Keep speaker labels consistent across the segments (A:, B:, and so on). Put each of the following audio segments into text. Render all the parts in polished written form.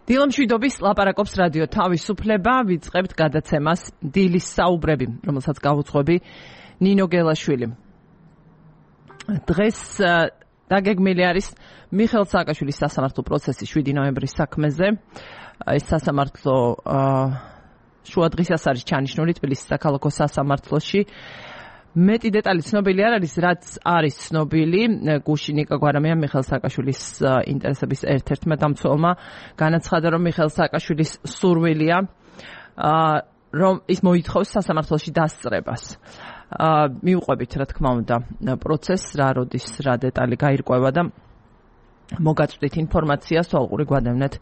A: დილამშვიდობის ლაპარაკობს რადიო თავისუფლება, ვიწყებთ გადაცემას დილის საუბრები, რომელსაც გავუძღვები ნინო გელაშვილი. დღეს დაგეგმილი არის მიხეილ სააკაშვილის სასამართლო პროცესი 7 ნოემბრის საქმეზე. ეს სასამართლო შუადღისას არის ჩანიშნული თბილისის საქალაქო სასამართლოში. მეტი დეტალი ცნობილი არ არის, რაც არის ცნობილი. გუშინ ნიკა გვარამია მიხეილ სააკაშვილის ინტერესების ერთ-ერთმა დამცველმა განაცხადა, რომ მიხეილ სააკაშვილის სურვილია, რომ ის მოითხოვს სასამართლოში დასწრებას. მიუყვებით, რა თქმა უნდა, პროცესს, რა როდის, რა დეტალი გაირკვევა და მოგაწვდით ინფორმაციას, თვალყური გვადევნეთ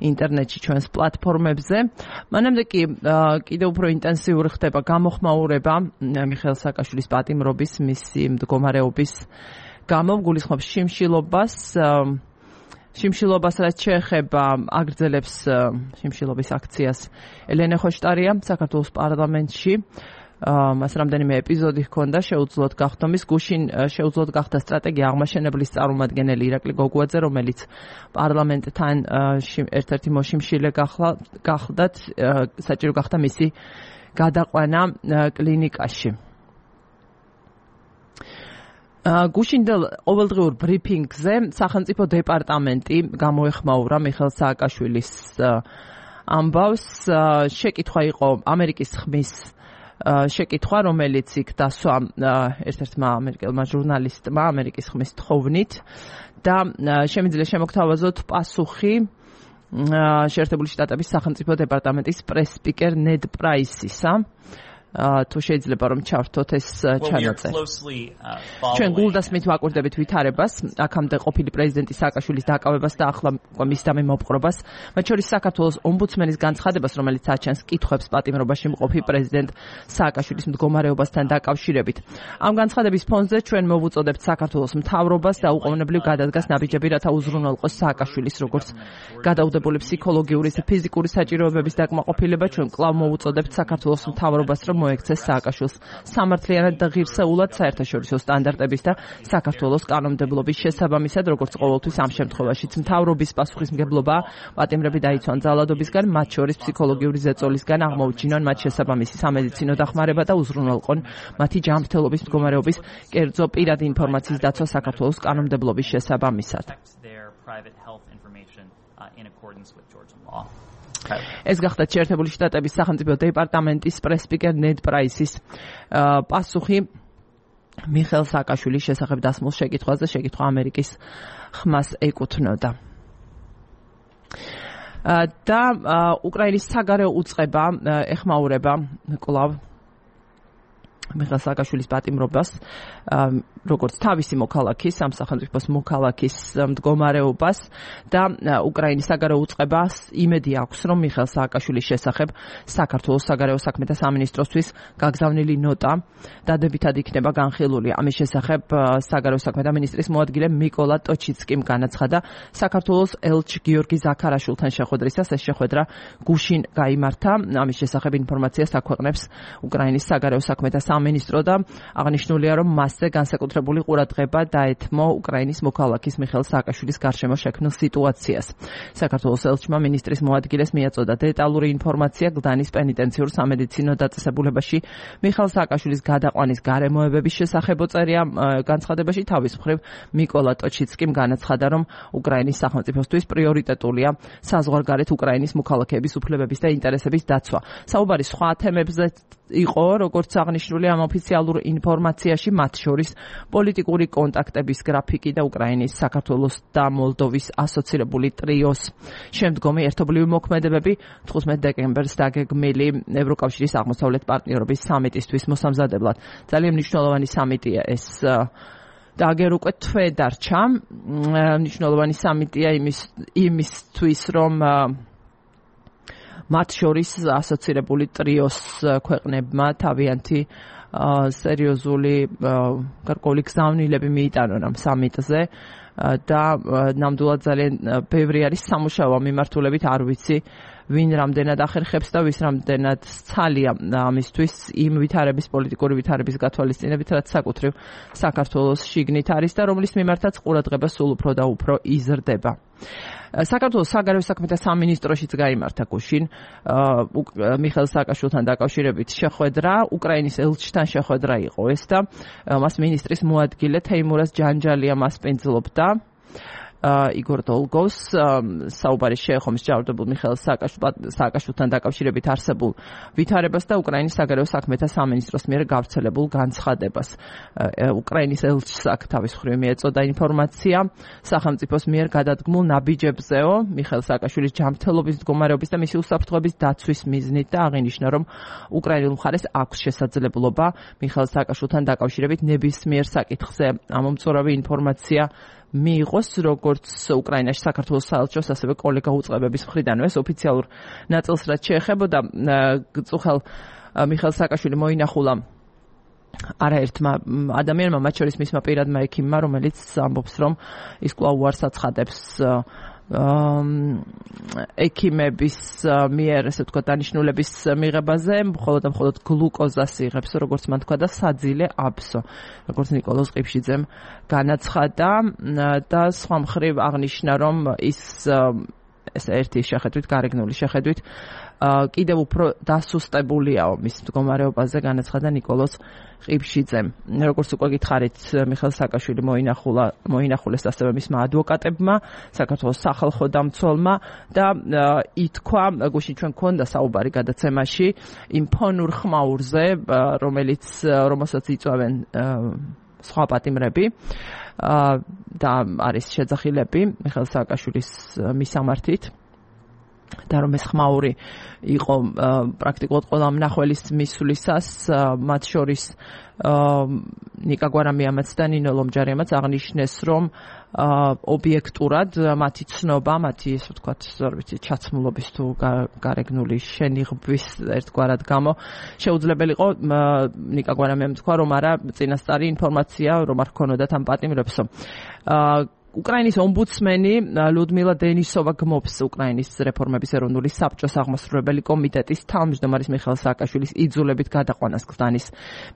A: ინტერნეტში ჩვენს პლატფორმებზე. მანამდე კი კიდევ უფრო ინტენსიური ხდება გამოხმაურება მიხეილ სააკაშვილის პატიმრობის, მისი მდგომარეობის გამო, გულისხმობს შიმშილობას, რაც შეეხება აგრძელებს შიმშილობის აქციას ელენე ხოშტარია საქართველოს პარლამენტში. მას რამდენიმე ეპიზოდი ჰქონდა შეუძლოდ გახდომის. გუშინ შეუძლოდ გახდა სტრატეგია აღმაშენებლის წარმომადგენელი ირაკლი გოგუაძე, რომელიც პარლამენტთან ერთ-ერთი მოშიმშილე გახლდათ, საჭირო გახდა მისი გადაყვანა კლინიკაში. გუშინდელ ყოველდღიურ ბრიფინგზე სახელმწიფო დეპარტამენტი გამოეხმაურა მიხეილ სააკაშვილის ამბავს. შეკითხვა იყო ამერიკის ხმის შეკითხვა, რომელიც იქ დასვა ერთ-ერთმა ამერიკელმა ჟურნალისტმა ამერიკის ხმის თხოვნით და შემიძლია შემოგთავაზოთ პასუხი შეერთებული შტატების სახელმწიფო დეპარტამენტის პრეს-სპიკერ ნედ პრაისისა. თუ შეიძლება რომ ჩავთოთ ეს ჩანაწერი. ჩვენ გულდასმით ვაკვირდებით ვითარებას, აქამდე ყოფილი პრეზიდენტის სააკაშვილის დაკავებას და ახლა მის დამე მოპყრობას, მათ შორის საქართველოს ომბუდსმენის განცხადებას, რომელიც აჩენს კითხვებს პატიმრობაში მყოფი პრეზიდენტ სააკაშვილის მდგომარეობასთან დაკავშირებით. ამ განცხადების ფონზე ჩვენ მოვუწოდებთ საქართველოს მთავრობას და უყოვნებლივ გადადგას ნაბიჯები, რათა უზრუნველყოს სააკაშვილის როგორც გადაუდებული ფსიქოლოგიური და ფიზიკური საჭიროებების დაკმაყოფილება. ჩვენ კვლავ მოვუწოდებთ საქართველოს მთავრობას, რომ მოექცეს სააკაშვილს სამართლიანად და ღირსეულად საერთაშორისო სტანდარტების და საქართველოს კანონმდებლობის შესაბამისად, როგორც ყოველთვის ამ შემთხვევაშიც მთავრობის პასუხისმგებლობაა პატიმრები დაიცვან ძალადობისგან, მათ შორის ფსიქოლოგიური ზეწოლისგან, აღმოუჩინონ მათ შესაბამისი სამედიცინო დახმარება და უზრუნველყონ მათი ჯანმრთელობის მდგომარეობის კერძო პირადი ინფორმაციის დაცვა საქართველოს კანონმდებლობის შესაბამისად. ეს გახდა შეერთებული შტატების სახელმწიფო დეპარტამენტის პრეს-სპიკერ ნედ პრაისის პასუხი მიხეილ სააკაშვილის შესახებ დასმულ შეკითხვაზე. შეკითხვა ამერიკის ხმას ეკუთვნოდა. და უკრაინის საგარეო უწყება ეხმაურება კვლავ მიხეილ სააკაშვილის პატიმრობას, როგორც თავისი მოქალაქის, ამ სახელმწიფოს მოქალაქის მდგომარეობას და უკრაინის საგარეო უწყებას იმედი აქვს, რომ მიხეილ სააკაშვილის შესახებ საქართველოს საგარეო საქმეთა სამინისტროსთვის გაგზავნილი ნოტა დადებითად იქნება განხილული. ამის შესახებ საგარეო საქმეთა მინისტრის მოადგილე მიკოლა ტოჩიცკიმ განაცხადა საქართველოს ელჩ გიორგი ზაქარაშვილთან შეხვედრისას. ეს შეხვედრა გუშინ გაიმართა. ამის შესახებ ინფორმაციას აქვეყნებს უკრაინის საგარეო საქმეთა სამინისტრო და აღნიშნულია, რომ მასზე განსაკუთრებული ყურადღება დაეთმო უკრაინის მოქალაქის მიხეილ სააკაშვილის გარშემო შექმნილ სიტუაციას. საქართველოს ელჩმა მინისტრის მოადგილეს მიაწოდა დეტალური ინფორმაცია გლდანის პენიტენციურ სამედიცინო დაწესებულებაში მიხეილ სააკაშვილის გადაყვანის გარემოებების შესახებ. წერია განცხადებაში თავის მხრივ მიკოლა ტოჩიცკიმ განაცხადა, რომ უკრაინის სახელმწიფოსთვის პრიორიტეტულია საზღვარგარეთ უკრაინის მოქალაქეების უფლებების და ინტერესების დაცვა. საუბარი სხვა თემებზე იყო, როგორც აღნიშნული ამ ოფიციალურ ინფორმაციაში, მათ შორის პოლიტიკური კონტაქტების გრაფიკი და უკრაინის, საქართველოს და მოლდოვის ასოცირებული ტრიოს შემდგომი ერთობლივი მოქმედებები 15 დეკემბერს დაგეგმილი ევროკავშირის აღმოსავლეთ პარტნიორობის სამიტისთვის მოსამზადებლად. ძალიან მნიშვნელოვანი სამიტია ეს და აგერ უკვე თვე დარჩა. მნიშვნელოვანი სამიტია იმისთვის, რომ მათ შორის ასოცირებული ტრიოს ქვეყნებმა თავიანთი სერიოზული გარკვეული გზავნილები მიიტანონ ამ სამიტზე და ნამდვილად ძალიან ბევრი არის სამუშაო მიმართულებით, არ ვიცი ვინ რამდენად ახერხებს და ვის რამდენად ცალია ამისთვის იმ პოლიტიკური ვითარების გათვალისწინებით, რაც საკუთრივ საქართველოს შიგნით არის და რომლის მიმართაც ყურადღება სულ უფრო და უფრო იზრდება. საქართველოს საგარეო საქმეთა სამინისტროშიც გაიმართა გუშინ მიხეილ სააკაშვილთან დაკავშირებით შეხვედრა, უკრაინის ელჩთან შეხვედრა იყო ეს და მას მინისტრის მოადგილე თეიმურაზ ჯანჯალია მასპინძლობდა. იგორ დოლგოს საუბარი შეეხო მსჯავრდებულ მიხეილ სააკაშვილთან დაკავშირებით არსებულ ვითარებას და უკრაინის საგარეო საქმეთა სამინისტროს მიერ გავრცელებულ განცხადებას. უკრაინის ელჩს აქ თავის მხრივ მიეწოდა ინფორმაცია სახელმწიფოს მიერ გადადგმულ ნაბიჯებზეო მიხეილ სააკაშვილის ჯანმრთელობის მდგომარეობის და მისი უსაფრთხოების დაცვის მიზნით და აღინიშნა, რომ უკრაინულ მხარეს აქვს შესაძლებლობა მიხეილ სააკაშვილთან დაკავშირებით ნებისმიერ საკითხზე ამომწურავი ინფორმაცია მიიღოს, როგორც უკრაინაში საქართველოს საელჩოს, ასევე კოლეგა უწყებების მხრიდან. ეს ოფიციალურ ნაწილს რაც შეეხებოდა, გწუხელ მიხეილ სააკაშვილი მოინახულა არაერთმა ადამიანმა, მათ შორის მისმა პირადმა ექიმმა, რომელიც ამბობს, რომ ის კვლავ უარს აცხადებს ექიმების მიერ, ესე ვთქვათ, დანიშნულების მიღებაზე, მხოლოდ და მხოლოდ გლუკოზას იღებს, როგორც მან თქვა და საძილე აბსო, როგორც ნიკოლოზ ყიფშიძემ განაცხადა და სხვა მხრივ აღნიშნა, რომ ის ერთი შეხედვით, გარეგნული შეხედვით კიდევ უფრო დასუსტებულია მის მდგომარეობაზე, განაცხადა ნიკოლოზ ყიფშიძემ. როგორც უკვე გითხარით, მიხეილ სააკაშვილი მოინახულეს ასევე მისმა ადვოკატებმა, საქართველოს სახალხო დამცველმა და ითქვა, გუშინ ჩვენ გქონდა საუბარი გადაცემაში იმ ფონურ ხმაურზე, რომელსაც იწვევენ სხვა პატიმრები და არის შეძახილები მიხეილ სააკაშვილის მისამართით. და რომ ეს ხმაური იყო პრაქტიკულად ყველა მნახველის მისვლისას, მათ შორის ნიკა გვარამიამაც და ნინო ლომჯარიამაც აღნიშნეს, რომ ობიექტურად მათი ცნობა, მათი ესე ვთქვათ, ჩაცმულობის თუ გარეგნული შენიღბვის ერთგვარად გამო შეუძლებელი იყო ნიკა გვარამიამ თქვა, რომ არა წინასწარი ინფორმაცია რომ არ ქონოდათ ამ პატიმრებსო. უკრაინის ომბუდსმენი ლუდმილა დენისოვა გმობს უკრაინის რეფორმების ეროვნული საბჭოს აღმასრულებელი კომიტეტის თავმჯდომარის მიხეილ სააკაშვილის იძულებით გადაყვანას გზანის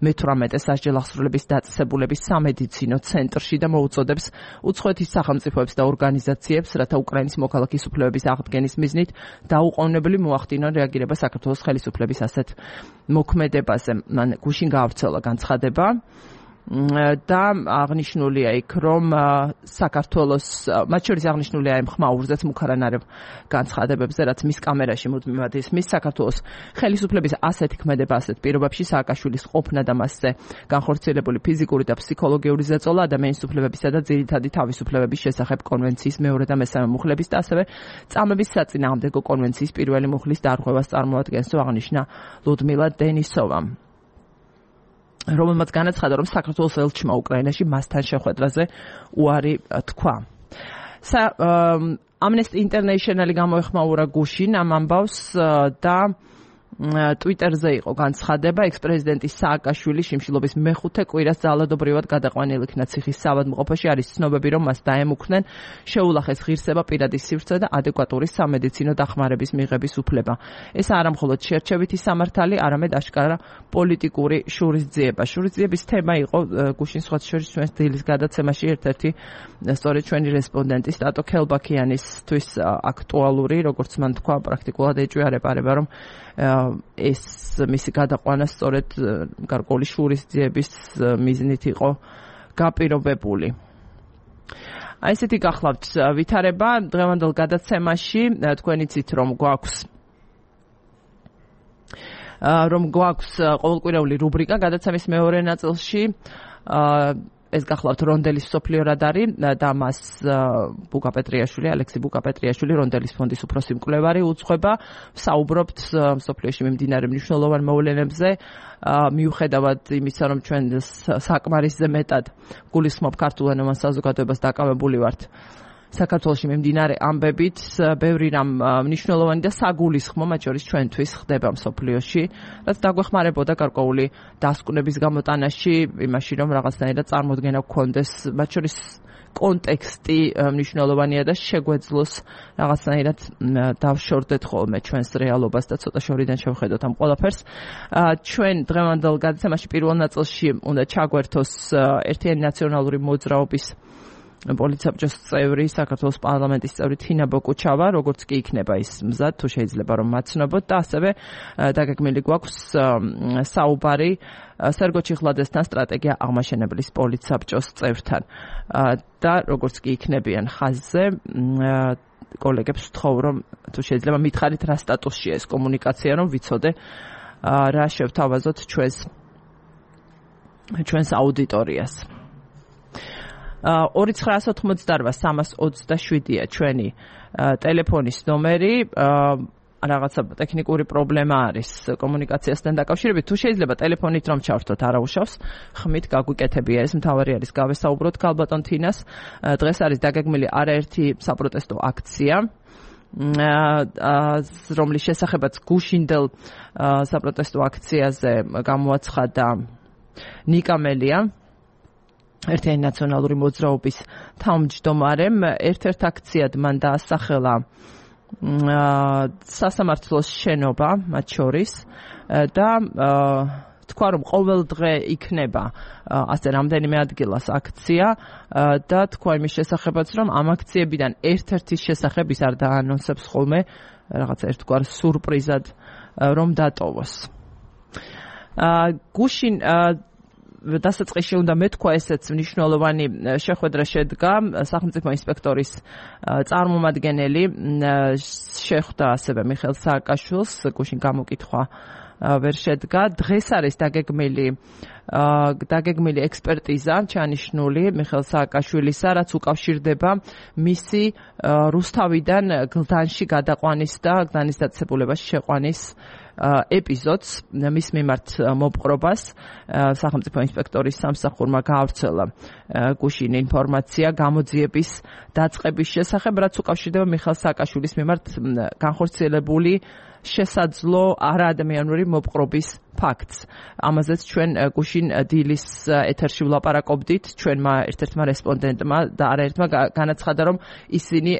A: მე-18 სასჯელ აღსრულების დაწესებულების სამედიცინო ცენტრში და მოუწოდებს უცხოეთის სახელმწიფოებს და ორგანიზაციებს, რათა უკრაინის მოქალაქის უფლებების აღდგენის მიზნით დაუყოვნებლივ მოახდინონ რეაგირება საქართველოს ხელისუფლების ასეთ მოქმედებაზე. მან გუშინ გაავრცელა განცხადება და აღნიშნულია იქ, რომ საქართველოს, მათ შორის აღნიშნულია იმ ხმაურზეც მუქარანარევ განცხადებებზე, რაც მის კამერაში მუდმივად ისმის, საქართველოს ხელისუფლების ასეთი ქმედება ასეთ პირობებში სააკაშვილის ყოფნა და მასზე განხორციელებული ფიზიკური და ფსიქოლოგიური ზეწოლა ადამიანის უფლებებისა და ძირითადი თავისუფლებების შესახებ კონვენციის მეორე და მესამე მუხლების და ასევე წამების საწინააღმდეგო კონვენციის პირველი მუხლის დარღვევას წარმოადგენს, აღნიშნა ლუდმილა დენისოვამ, რომელმაც განაცხადა, რომ საქართველოს ელჩმა უკრაინაში მასთან შეხვედრაზე უარი თქვა. Amnesty International გამოეხმაურა გუშინ ამ ამბავს და Twitter-ზე იყო განცხადება, ექს-პრეზიდენტის სააკაშვილის შიმშილობის მეხუთე კვირას ძალადობრივად გადაყვანილ იქნა ციხის საავადმყოფოში, არის ცნობები, რომ მას დაემუქრნენ, შეულახეს ღირსება, პირადი სივრცე და ადეკვატური სამედიცინო დახმარების მიღების უფლება. ეს არა მხოლოდ შერჩევითი სამართალი, არამედ აშკარა პოლიტიკური შურისძიება. შურისძიების თემა იყო გუშინ სხვა შორის ჩვენს დილის გადაცემაში ერთ-ერთი სწორედ ჩვენი რესპონდენტი სტატო ქელბაქიანისთვის აქტუალური, როგორც მან თქვა, პრაქტიკულად ეჭვიარება, რომ ეს მისი გადაყვანა სწორედ გარკვეული შურისძიების მიზნით იყო გაპირობებული. აი ესეთი გახლავთ ვითარება დღევანდელ გადაცემაში, თქვენ იცით რომ გვაქვს ყოველკვირეული რუბრიკა გადაცემის მეორე ნაწილში, ეს გახლავთ რონდელის მსოფლიო რადარი და მას ბუკაპეტრიაშვილი, ალექსი ბუკაპეტრიაშვილი, რონდელის ფონდის უფროსი მკვლევარი უძღვება. საუბრობთ მსოფლიოში მიმდინარე მნიშვნელოვან მოვლენებზე, მიუხედავად იმისა, რომ ჩვენ საკმარისზე მეტად გულისხმობ ქართულ ენოვან საზოგადოებას დაკავებული ვართ საქართველოში მიმდინარე ამბებით, ბევრი რამ მნიშვნელოვანი და საგულისხმო, მათ შორის ჩვენთვის ხდება მსოფლიოში, რაც დაგვეხმარებოდა გარკვეული დასკვნების გამოტანაში, იმაში, რომ რაღაცნაირად წარმოდგენა გქონდეს, მათ შორის კონტექსტი მნიშვნელოვანია და შეგვეძლოს რაღაცნაირად დავშორდეთ ხოლმე ჩვენს რეალობას და ცოტა შორიდან შევხედოთ ამ ყველაფერს. ჩვენ დღევანდელ გადაცემაში პირველ ნაწილში უნდა ჩაგვერთოს ერთიანი ნაციონალური მოძრაობის პოლიცსაბჭოს წევრი, საქართველოს პარლამენტის წევრი თინა ბოკუჩავა, როგორც კი იქნება ის მზად, თუ შეიძლება რომ მაცნობოთ და ასევე დაგეგმილი გვაქვს საუბარი სერგო ჩიხლაძესთან, სტრატეგია აღმაშენებლის პოლიცსაბჭოს წევრთან. და როგორც კი იქნებიან ხაზზე, კოლეგებს ვთხოვ, რომ თუ შეიძლება მითხარით რა სტატუსშია ეს კომუნიკაცია, რომ ვიცოდე რა შევთავაზოთ ჩვენს აუდიტორიას. 2988-327-ია ჩვენი ტელეფონის ნომერი. რაღაცა ტექნიკური პრობლემა არის კომუნიკაციასთან დაკავშირებით. თუ შეიძლება ტელეფონით რომ ჩავრთოთ, არა უშავს. ხმით გაგვიკეთებია ეს, მთავარი არის გავესაუბროთ ქალბატონ თინას. დღეს არის დაგეგმილი არაერთი საპროტესტო აქცია, რომლის შესახებაც გუშინდელ საპროტესტო აქციაზე გამოაცხადა ნიკა მელია, ერთიანი ნაციონალური მოძრაობის თავმჯდომარემ. ერთ-ერთ აქციად მან დაასახელა სასამართლოს შენობა მათ შორის და თქვა, რომ ყოველ დღე იქნება ასე რამდენიმე ადგილას აქცია და თქვა იმის შესახებაც, რომ ამ აქციებიდან ერთ-ერთის შესახებ ის არ დაანონსებს ხოლმე რაღაცა ერთგვარ სურპრიზად, რომ დატოვოს. გუშინ დასაწყისში უნდა მეთქვა ესეც მნიშვნელოვანი შეხვედრა შედგა სახელმწიფო ინსპექტორის წარმომადგენელი შეხვდა ასევე მიხეილ სააკაშვილს, გუშინ გამოკითხვა ვერ შედგა. დღეს არის დაგეგმილი ექსპერტიზა ჩანიშნული მიხეილ სააკაშვილისა, რაც უკავშირდება მისი რუსთავიდან გლდანში გადაყვანის და გლდანის დაწესებულებაში შეყვანის ეპიზოდს, მის მიმართ მოპყრობას. სახელმწიფო ინსპექტორის სამსახურმა გაავრცელა გუშინ ინფორმაცია გამოძიების დაწყების შესახებ, რაც უკავშირდება მიხეილ სააკაშვილის მიმართ განხორციელებული შესაძლო არაადამიანური მოპყრობის ფაქტს. ამაზეც ჩვენ გუშინ დილის ეთერში ვლაპარაკობდით, ჩვენმა ერთ-ერთმა რესპონდენტმა და არაერთმა განაცხადა, რომ ისინი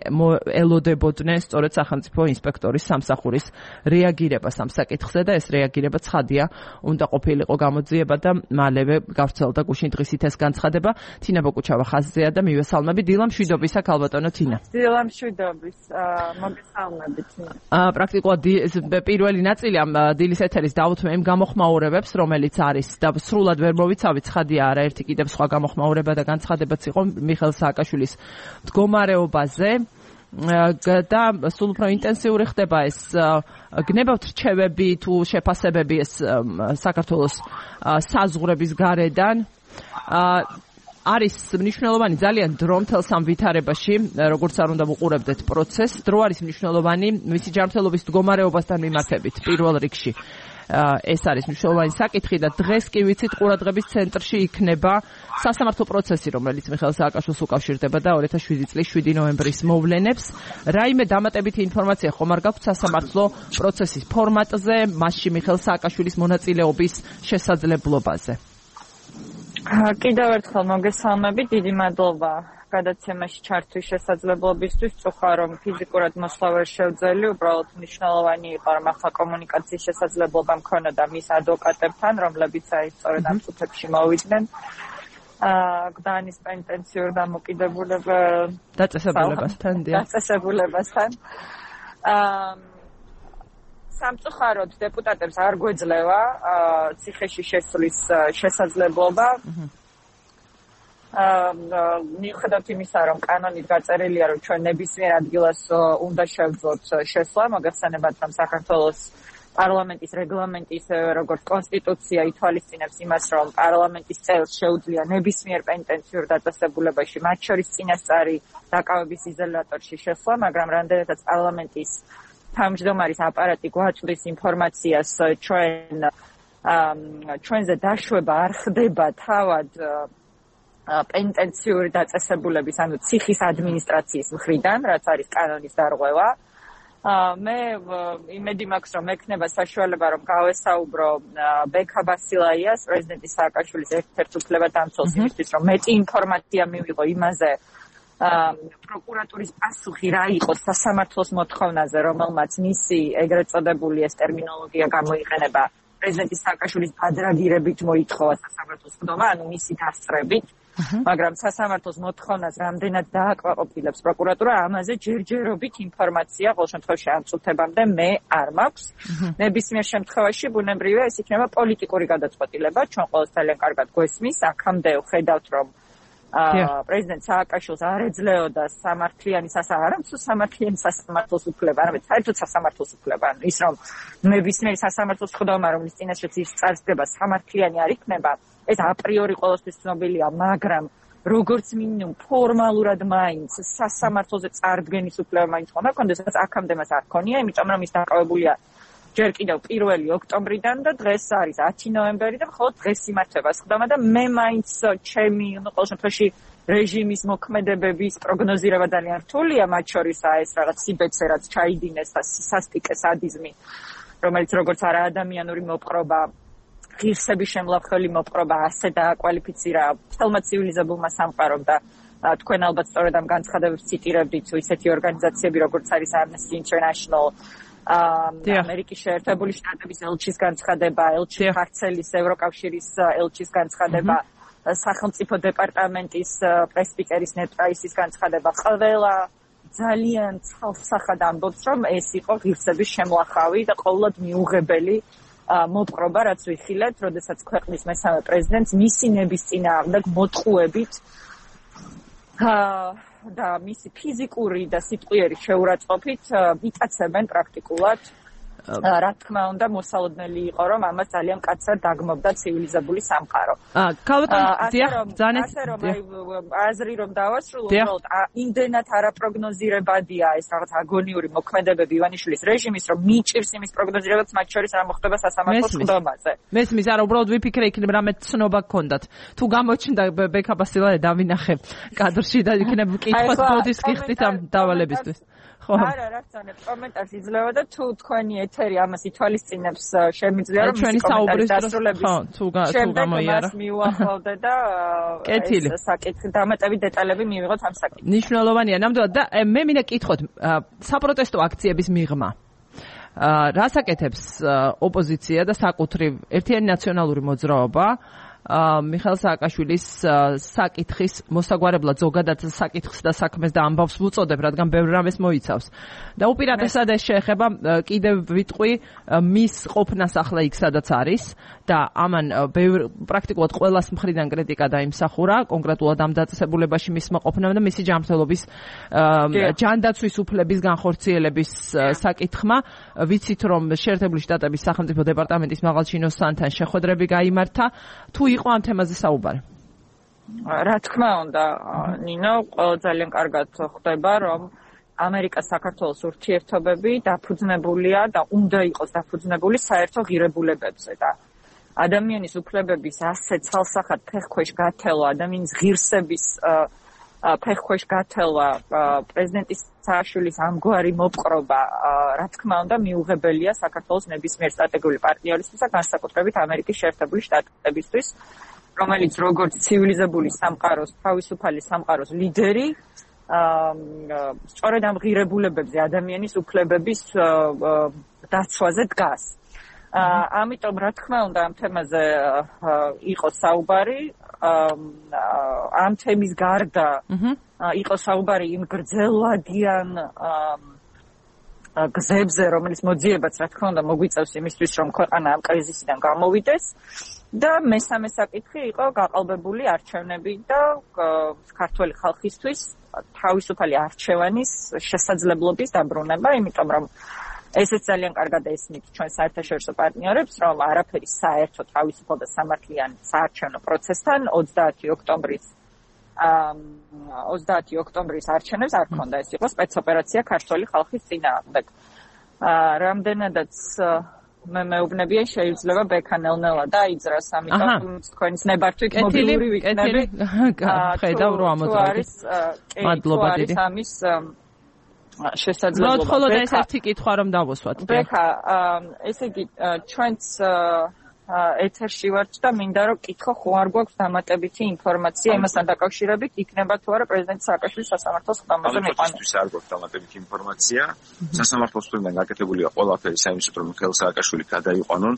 A: ელოდებოდნენ სწორედ სახელმწიფო ინსპექტორის სამსახურის რეაგირებას ამ საკითხზე და ეს რეაგირება ცხადია, უნდა ყოფილიყო გამოძიება და მალევე გავრცელდა გუშინ დღისით ეს განცხადება. თინა ბოკუჩავა ხაზზეა და მივესალმები. დილა მშვიდობისა, ქალბატონო თინა.
B: დილა მშვიდობის, მოგესალმებით.
A: პრაქტიკულად პირველი ნაწილი ამ დილის ეთერის დავუთმე იმ გამოხმაურებებს, რომელიც არის და სრულად ვერ მოვიცავით, ცხადია არაერთი კიდევ სხვა გამოხმაურება და განცხადებაც იყო მიხეილ სააკაშვილის მდგომარეობაზე და სულ უფრო ინტენსიური ხდება ეს გნებავთ რჩევები თუ შეფასებები ეს საქართველოს საზღვრების გარედან. არის მნიშვნელოვანი ძალიან დრო მთელს ამ ვითარებაში, როგორც არ უნდა ვუყურებდეთ პროცესს. დრო არის მნიშვნელოვანი მისი ჯანმრთელობის მდგომარეობასთან მიმართებით პირველ რიგში. ეს არის მნიშვნელოვანი საკითხი და დღეს კი ვიცით ყურადღების ცენტრში იქნება სასამართლო პროცესი, რომელიც მიხეილ სააკაშვილს უკავშირდება და 2007 წლის 7 ნოემბრის მოვლენებს. რაიმე დამატებითი ინფორმაცია ხომ არ გაქვთ სასამართლო პროცესის ფორმატზე, მასში მიხეილ სააკაშვილის მონაწილეობის შესაძლებლობაზე?
B: კიდევ ერთხელ მოგესალმებით, დიდი მადლობა გადაცემაში ჩართვის შესაძლებლობისთვის. წუხა რომ ფიზიკურად მოსვლა ვერ შევძელი, უბრალოდ მნიშვნელოვანი იყო რომ ახლა კომუნიკაციის შესაძლებლობა მქონოდა მის ადვოკატებთან, რომლებიც აი სწორედ ამ წუთებში მოვიდნენ გლდანის პენტენციურ
A: დაწესებულებასთან.
B: სამწუხაროდ დეპუტატებს არ გვეძლევა ციხეში შესვლის შესაძლებლობა. მიუხედავად იმისა, რომ კანონით გაწერილია, რომ ჩვენ ნებისმიერ ადგილას უნდა შევძლოთ შესვლა, მოგეხსენებათ, რომ საქართველოს პარლამენტის რეგლამენტი, ისევე როგორც კონსტიტუცია ითვალისწინებს იმას, რომ პარლამენტის წევრს შეუძლია ნებისმიერ პენტენციურ დაწესებულებაში, მათ შორის წინასწარი დაკავების იზოლატორში შესვლა, მაგრამ რამდენადაც პარლამენტის თავმჯდომარის აპარატი გვაწვდის ინფორმაციას, ჩვენზე დაშვება არ ხდება თავად პენტენციური დაწესებულების, ანუ ციხის ადმინისტრაციის მხრიდან, რაც არის კანონის დარღვევა. მე იმედი მაქვს, რომ ექნება საშუალება, რომ გავესაუბრო ბექა ბასილაიას, პრეზიდენტის სააკაშვილის ერთ-ერთ უფლებადამცველს, იმისთვის, რომ მეტი ინფორმაცია მივიღო იმაზე, პროკურატურის პასუხი რა იყო სასამართლოს მოთხოვნაზე, რომელმაც მისი ეგრეთ წოდებული ეს ტერმინოლოგია გამოიყენება პრეზიდენტის სააკაშვილის ბადრაგირებით მოითხოვა სასამართლოს ხდომა, ანუ მისი დასწრებით. მაგრამ სასამართლოს მოთხოვნას რამდენად დააკმაყოფილებს პროკურატურა, ამაზე ჯერჯერობით ინფორმაცია ყოველ შემთხვევაში ამ წუთებამდე მე არ მაქვს. ნებისმიერ შემთხვევაში ბუნებრივია ეს იქნება პოლიტიკური გადაწყვეტილება, ჩვენ ყოველს ძალიან კარგად გვესმის, აქამდე ვხედავთ, რომ პრეზიდენტ სააკაშვილს არ ეძლეოდა სამართლიანი სამართლიანი სასამართლოს უფლება, არამედ საერთოდ სასამართლოს უფლება. ის რომ ნებისმიერი სასამართლოს ხდომა, რომლის წინაშეც ის წარსდება, სამართლიანი არ იქნება, ეს აპრიორი ყოველთვის ცნობილია, მაგრამ როგორც მინიმუმ ფორმალურად მაინც სასამართლოზე წარდგენის უფლება მაინც ხონდა, კონდესაც აქამდე მას არ ქონია, იმიტომ რომ ის დაკავებულია ჯერ კიდევ 1 ოქტომბრიდან და დღეს არის 10 ნოემბერი და მხოლოდ დღეს იმართება სხდომა და მე მაინც ჩემი ყოველ შემთხვევაში რეჟიმის მოქმედებების პროგნოზირება ძალიან რთულია, მათ შორისაა ეს რაღაც სიბეცე, რაც ჩაიდინეს და სასტიკე სადიზმი, რომელიც როგორც არა ადამიანური მოპყრობა, ღირსების შემლავხელი მოპყრობა ასე დააკვალიფიცირა მთელმა ცივილიზებულმა სამყარომ და თქვენ ალბათ სწორედ ამ განცხადებებს ციტირებდით ისეთი ორგანიზაციები, როგორც არის Amnesty International, ამერიკის შეერთებული შტატების ელჩის განცხადება, ელჩი ხარცელის ევროკავშირის ელჩის განცხადება, სახელმწიფო დეპარტამენტის პრესპიკერის ნედ პრაისის განცხადება, ყველა ძალიან ცალსახად ამბობს, რომ ეს იყო ღირსების შემლახავი და ყოველად მიუღებელი მოპყრობა, რაც ვიხილეთ, როდესაც ქვეყნის მესამე პრეზიდენტს მისი ნების წინააღმდეგ მოტყუებით და მისი ფიზიკური და სიტყვიერი შეურაცხყოფით იტაცებენ პრაქტიკულად. რა თქმა უნდა, მოსალოდნელი იყო, რომ ამას ძალიან კაცრად დაგმობდა ცივილიზებული სამყარო. ასე რომ აზრი რომ დავასრულო, უბრალოდ იმდენად არაპროგნოზირებადია ეს რაღაც აგონიური მოქმედებები ივანიშვილის რეჟიმის, რომ მიჭირს იმის პროგნოზირებაც, მათ შორის რა მოხდება სასამართლოს ხდომაზე.
A: მესმის, არა, უბრალოდ ვიფიქრე იქნება რამე ცნობა გქონდათ. თუ გამოჩნდა ბექა ბასილაია დავინახე კადრში და იქნება კითხვა ბოდის გიხდით ამ დავალებისთვის.
B: არა, რა თქმა კომენტარს იძლევა და თუ თქვენი ეთერი ამას ითვალისწინებს, შემიძლია რომ
A: ჩვენი საუბრის დასრულების
B: შემდეგ მას მიუახლოვდე და ეს საკითხი დამატებით დეტალები მივიღოთ ამ საკითხზე.
A: ნიშნულოვანია ნამდვილად და მე მინდა კითხოთ საპროტესტო აქციების მიღმა. რას აკეთებს ოპოზიცია და საკუთრივ ერთიანი ნაციონალური მოძრაობა მიხეილ სააკაშვილის საკითხის მოსაგვარებლად ზოგადად საკითხს და საქმეს და ამბავს ვუწოდებ, რადგან ბევრ რამეს მოიცავს. და უპირატესად ეს შეეხება კიდევ ვიტყვი მის ყოფნას ახლა იქ სადაც არის და ამან პრაქტიკულად ყველას მხრიდან კრიტიკა დაიმსახურა, კონკრეტულად ამ დაწესებულებაში მისმა ყოფნამ და მისი ჯანმრთელობის ჯანდაცვის უფლების განხორციელების საკითხმა. ვიცით რომ შეერთებული შტატების სახელმწიფო დეპარტამენტის მაღალჩინოსანთან შეხვედრები გაიმართა. თუ იყო ამ თემაზე საუბარი?
B: რა თქმა უნდა, ნინო, ძალიან კარგად ხვდება, რომ ამერიკა-საქართველოს ურთიერთობები დაფუძნებულია და უნდა იყოს დაფუძნებული საერთო ღირებულებებზე და ადამიანის უფლებების ასე ცალსახად ფეხქვეშ გათელვა, ადამიანის ღირსების ფეხქვეშ გათელვა, პრეზიდენტის სააკაშვილის ამგვარი მოპყრობა, რა თქმა უნდა, მიუღებელია საქართველოს ნებისმიერ სტრატეგიული პარტნიორისთვის და განსაკუთრებით ამერიკის შეერთებული შტატებისთვის, რომელიც როგორც ცივილიზებული სამყაროს, თავისუფალი სამყაროს ლიდერი, სწორედ ამ ღირებულებებზე, ადამიანის უფლებების დაცვაზე დგას. ამიტომ რა თქმა უნდა ამ თემაზე იყო საუბარი, ამ თემის გარდა იყო საუბარი იმ გრძელვადიან გზებზე, რომელიც მოძიებაც რა თქმა უნდა მოგვიწევს იმისთვის, რომ ქვეყანა ამ კრიზისიდან გამოვიდეს და მესამე საკითხი იყო გაყალბებული არჩევნები და ქართველი ხალხისთვის თავისუფალი არჩევანის შესაძლებლობის დაბრუნება, იმიტომ რომ ესეც ძალიან კარგად ესმით ჩვენ საერთაშორისო პარტნიორებს, რომ არაფერი საერთო თავისუფალ და სამართლიან საარჩევნო პროცესთან 30 ოქტომბრის არჩევნებს არ ქონდა. ეს იყო სპეცოპერაცია ქართველი ხალხის წინააღმდეგ. რამდენადაც მე მეუბნებიან შეიძლება ბექანელნელა დაიძრას, ამიტომ თქვენის ნებართვით მობილური ვიქნები.
A: ხედავ რომ ამოწმებით. მადლობა დიდი.
B: შესაძლებლობა.
A: ხოლოდ ეს ერთი კითხვა რომ დავუსვათ.
B: ბექა, ესე იგი ჩვენც ეთერში ვართ და მინდა რომ კითხო ხო არ გვაქვს დამატებითი ინფორმაცია იმასთან დაკავშირებით, იქნება თუ არა პრეზიდენტ სააკაშვილის სასამართლოს ხდომაზე მიყვანა.
C: ამისთვის არ გვაქვს დამატებითი ინფორმაცია. სასამართლოს მხრიდან გაკეთებულია ყველაფერი საიმედო რომ მიხეილ სააკაშვილი გადაიყვანონ